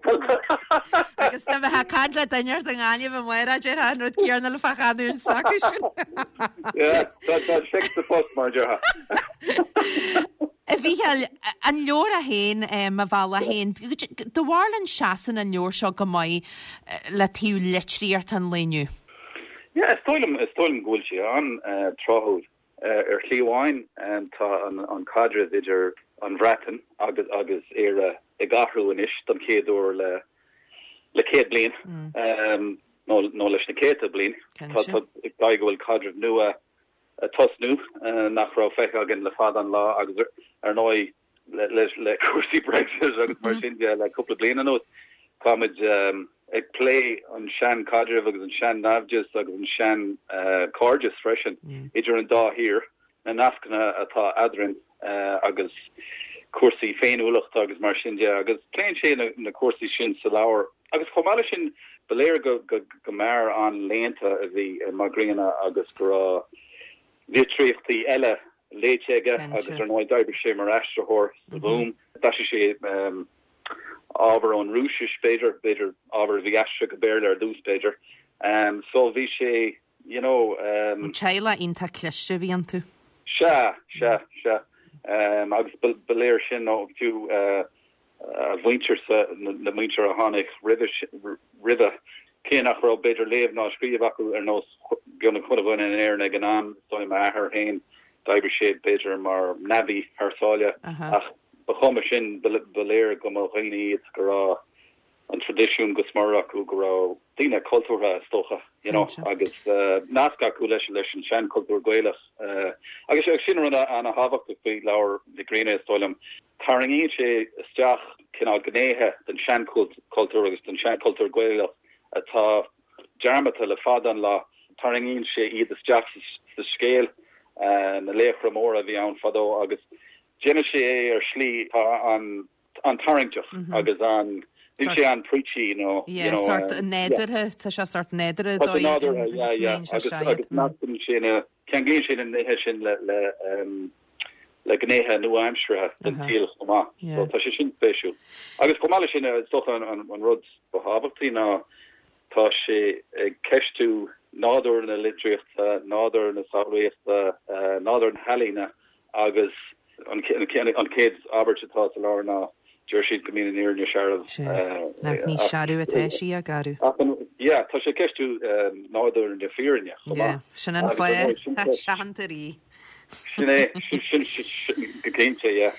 Agus dá mbeifeá ag caint le duine ort i nGaillimh amárach, déarfá an rud céanna le fá chanúint s'acu sin. Yeah, tá seic sa phost, mar a déarfá. A Mhícheáil, an leabhar é féin, Mo Bhealach Féin, do bharúil an seasann an leabhar seo go maith le taobh litríochta an lae inniu? Yeah, is dóigh liom, is dóigh liom go bhfuil sé an-tráthúil. Ar shlí amháin, tá an caidreamh idir an Bhreatain agus agus Éire ag athrú anois don chéad uair le le 100 bliain, nó nó leis na céadta bliain. Tá tá ag dóigh go bhfuil caidreamh nua ag tosnú nach raibh feicthe againn le fada an lá agus ar ndóigh le cúrsaí Brexit agus mar sin de le cúpla bliain anuas táimid ag plé an sean-chaidreamh agus an sean-naimhdeas agus an sean-chairdeas freisin idir an dá thír, na nascanna atá eadrainn agus cúrsaí féiniúlachta agus mar sin de agus pléann sé na cúrsaí sin sa leabhar. Agus chomh maith leis sin, ba léir go mb'fhear an-léannta a bhí i Mac Grianna agus go raibh litríochtaí eile léite aige agus ar ndóigh d'oibrigh sé mar aistritheoir sa Ghúm. D'aistrigh sé ábhar ón Rúisis, b'fhéidir, b'fhéidir ábhar a bhí aistrithe go Béarla ar dtús, b'fhéidir. So bhí sé, you know. Teaghlach iontach cliste a bhí iontu. Sea, sea, sea. Agus ba léir sin ó fiú a mhuintirse, na muintir a tháinig roimhe, cé nach raibh b'fhéidir léamh ná scríobh acu ar nós beagnach chuile dhuine in Éirinn ag an am, is dóigh m'athair féin, d'oibrigh sé b'fhéidir mar navvy thar sáile ach ba chuma sin, ba léir go mba dhaoine iad go raibh an traidisiún go smior acu, go raibh daoine cultúrtha is dócha, you know, agus nasc acu leis leis an seanchultúr Gaelach. Agus sin rud ana-thábhachtach faoi leabhar Mhic Grianna, is dóigh liom. Tarraingíonn sé isteach cineál gnéithe den seanchultúr agus den seanchultúr Gaelach atá dearmadta le fada an lá. Tarraingíonn sé iad isteach sa scéal, na laochra móra a bhí ann fadó, agus déanann sé é ar shlí atá an-tarraingteach agus an, níl sé an-preachy nó, you know. Yeah, sórt nádúrtha, tá sé sórt nádúrtha dóigh. Tá sé nádúrtha, yeah, yeah, agus nascann sé na, Ceanglaíonn sé na nithe sin le le gnéithe nua-aimseartha den saol chomh maith. So tá sé sin spéisiúil. Agus chomh maith leis sin, is dócha an rud ba thábhachtaí ná tá sé ag ceistiú nádúr na litríochta, nádúr na samhlaíochta, nádúr na healaíne Agus an chéad abairt atá sa leabhar ná, Deir siad go mbíonn an fhírinne searbh. Sea. Nach ní searbh atá sí, a gcara. Ach an, yeah, tá sé ag ceistiú nádúr na fírinne chomh maith. Yeah, sin an fáth a séantar í. Sin é, sin, sin, go cinnte, yeah.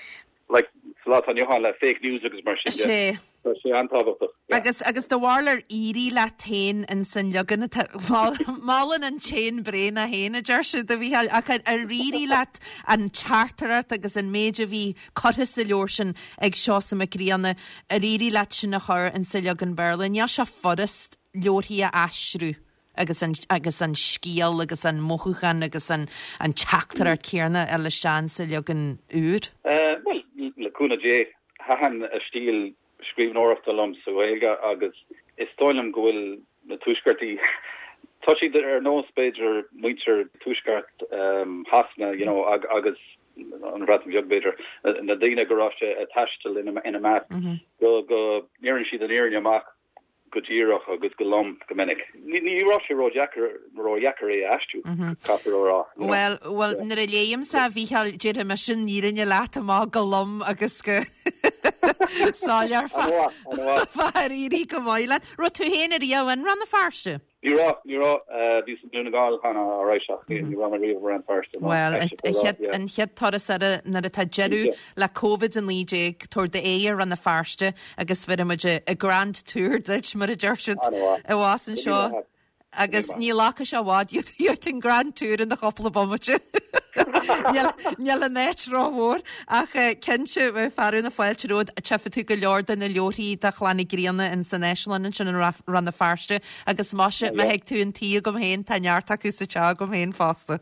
Like, sa lá atá inniu ann le fake news agus mar sin de. Sea. Tá sé an-tábhachtach. Yeah. Agus, agus do bharúil ar éirigh leat féin ins an leagan atá, molann an t-éan bréan é féin, a deir siad, a Mhícheáil, ach ar éirigh leat an teachtaireacht agus an méid a bhí curtha sa leabhar sin ag Seosamh Mac Grianna, ar éirigh leat sin a chur ins an leagan Béarla? Níl sé furast leabharthaí a aistriú. agus an, agus an scéal agus an mothúchán agus an, an teachtaireacht céanna a fháil isteach sa leagan úr? Bhuel, le cúnamh Dé, thaitin a stíl scríbhneoireachta liom sa Ghaeilge agus is dóigh liom go bhfuil na Tuaisceartaigh. Tá siad ar nós, b'fhéidir, muintir tuaisceart Shasana, you know, agus an Bhreatain Bheag, b'fhéidir, na daoine go raibh sé ag taisteal ina measc, go ndeireann siad an fhírinne amach go díreach agus go lom go minic. Ní raibh sé ródheacair ródheacair é a aistriú, caithfear a rá. You know. Bhuel, bhuel, nuair a léimse a Mhícheáil, déarfaidh mise an fhírinne leat amach go lom agus go soiléir fá ar éirigh go maith leat. Raibh tú féin ariamh in Rann na Feirste? Ní raibh, ní raibh. Bhíos i nDún na nGall cheana, alright, ach ní raibh mé riamh i Rann na Feirste. Bhuel, an chéad turas eile nuair atá deireadh le Covid-19, tabhair d'aghaidh ar Rann na Feirste agus bhéarfaidh muid grand tour duit, mar a deir siad abhus anseo. Agus ní ghlacfaidh sé i bhfad gheobhaidh tú an grand tour ina chúpla bomaite. Níl an áit rómhór ach cinnte bheadh fearadh na fáilte romhat. Tchífidh tú go leor de na leabharthaí de Chlann Uí Ghrianna in san áislann ansin i Rann na Feirste agus maise má thig tú 'un tí agam féin tá neart acu sa teach agam féin fosta.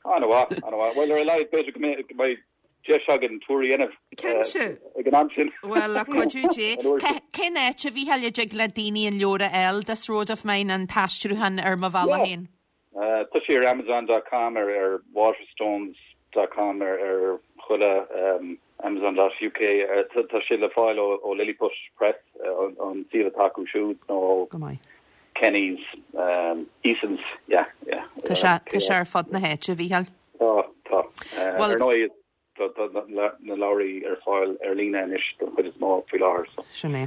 An-mhaith, an-mhaith. Bhuel ar a laghad b'fhéidir go mbeidh deis againn tour a dhéanamh Cinnte. ag an am sin. Bhuel, le cuidiú Dé. Cén áit, a Mhícheáil, a dtig le daoine an leabhar a fháil, This Road of Mine, an t-aistriúchán ar Mo Bhealach Féin? Tá sé ar Amazon dot com, ar ar Waterstones dot com, ar ar chuile Amazon dot uk. Tá sé le fáil ó ó Lilliput Press, an suíomh atá acu siúd, nó ó Go maith. Kenny's, Eason's, yeah, yeah. Tá sé, tá sé ar fud na háite, a Mhícheáil. Tá, tá. Ar ndóigh, tá na leabhraí ar fáil ar líne anois don chuid is mó faoi láthair. So. Sin é.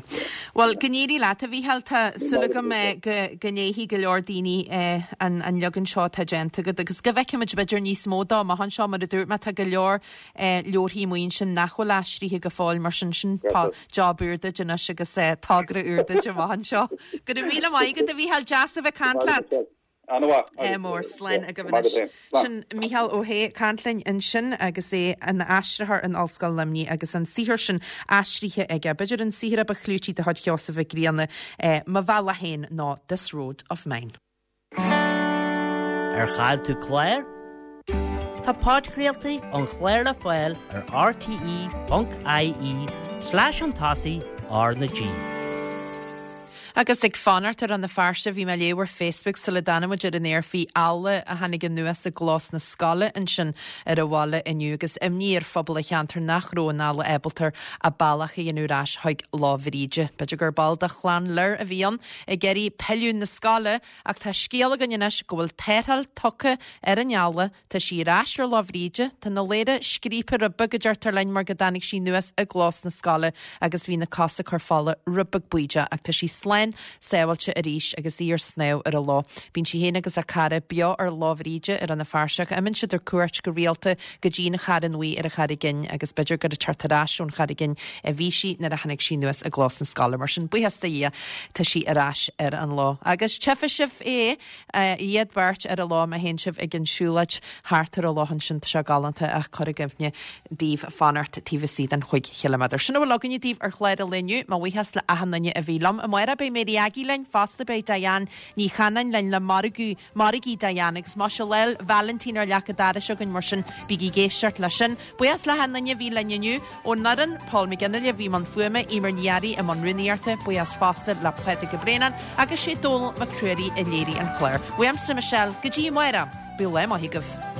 Bhuel, go n-éirí leat, a Mhícheáil. Tá súil agam go léifidh go leor daoine an leagan seo atá déanta agat agus go bhfeicfimid b'fhéidir níos mó dó amach anseo. Mar a dúirt mé, tá go leor leabharthaí amuigh ansin nach bhfuil aistrithe go fóill, mar sin sin job úr duit anois agus togra úr duit amach anseo. Go raibh míle maith agat, a Mhícheáil. Deas a bheith ag caint leat. An-mhaith. Ádh mór, slán agaibh anois. Sin Mícheál Ó hAodha ag caint linn ansin agus é ina aistritheoir in Ollscoil Luimnigh agus an saothar sin aistrithe aige. B'fhéidir an saothar a ba chlúití de chuid Sheosaimh Mhic Grianna, Mo Bhealach Féin nó This Road of Mine. Ar chaill tú clár? Tá podchraoltaí an chláir le fáil ar rte.ie slash an tosaigh R na G. Agus ag fanacht ar Rann na Feirste, bhí mé ag léamh ar Facebook sula dtáinig muid ar an aer faoi eala a tháinig anuas i gclós na scoile ansin ar an bhaile inniu agus imní ar phobal an cheantair nach raibh an eala ábalta a bealach a dhéanamh ar ais chuig Loch Bhríde. B'fhéidir gur ball de chlann Lir a bhí ann ag iarraidh pilleadh na scoile Ach tá scéal againn anois go bhfuil tarrtháil tugtha ar an eala, tá sí ar ais ar Loch Bhríde, tá na lámha scríobtha rud beag a deirtear linn mar go dtáinig sí anuas i gclós na scoile agus bhí na cosa ag cur fola rud beag baoideach ach tá sí slán sábháilte arís agus í ar snámh ar an loch. Bíonn sí féin agus a cara beo ar Loch Bhríde i Rann na Feirste ach imíonn siad ar cuairt go rialta go dtí an Charn Bhuí ar an Charraig Fhinn agus b'fhéidir gur ag teacht ar ais ón Charraig Fhinn a bhí sí nuair a tháinig sí anuas i gclós na scoile. Mar sin, buíochas do Dhia, tá sí ar ais ar an loch. Agus tchífidh sibh é, iad beirt ar an loch má théann sibh ag an siúlóid thart ar an loch ansin. Tá sé galánta ach cur i gcuimhne daoibh fanacht taobh istigh den chúig chiliméadar. Sin a bhfuil againne daoibh ar chlár an lae inniu. Mo bhuíochas le achan duine a bhí liom. Amárach beidh Mary Aggie linn fosta, beidh Diane Ní Chanainn linn le margadh Margaí Diane agus muise Lá Vailintín ar leac an dorais againn mar sin bígí ag éisteacht leis sin. Buíochas le hachan duine a bhí linn inniu. Ón fhoireann, Paul McGinley a bhí i mbun fuaime, Eimear Ní Fhearraigh i mbun rúnaíochta, buíochas fosta le Pádraig Ó Braonáin agus sé Dónal Mac Ruairí a léirigh an clár. Uaimse Michelle, go dtí amárach, bíodh lá maith agaibh.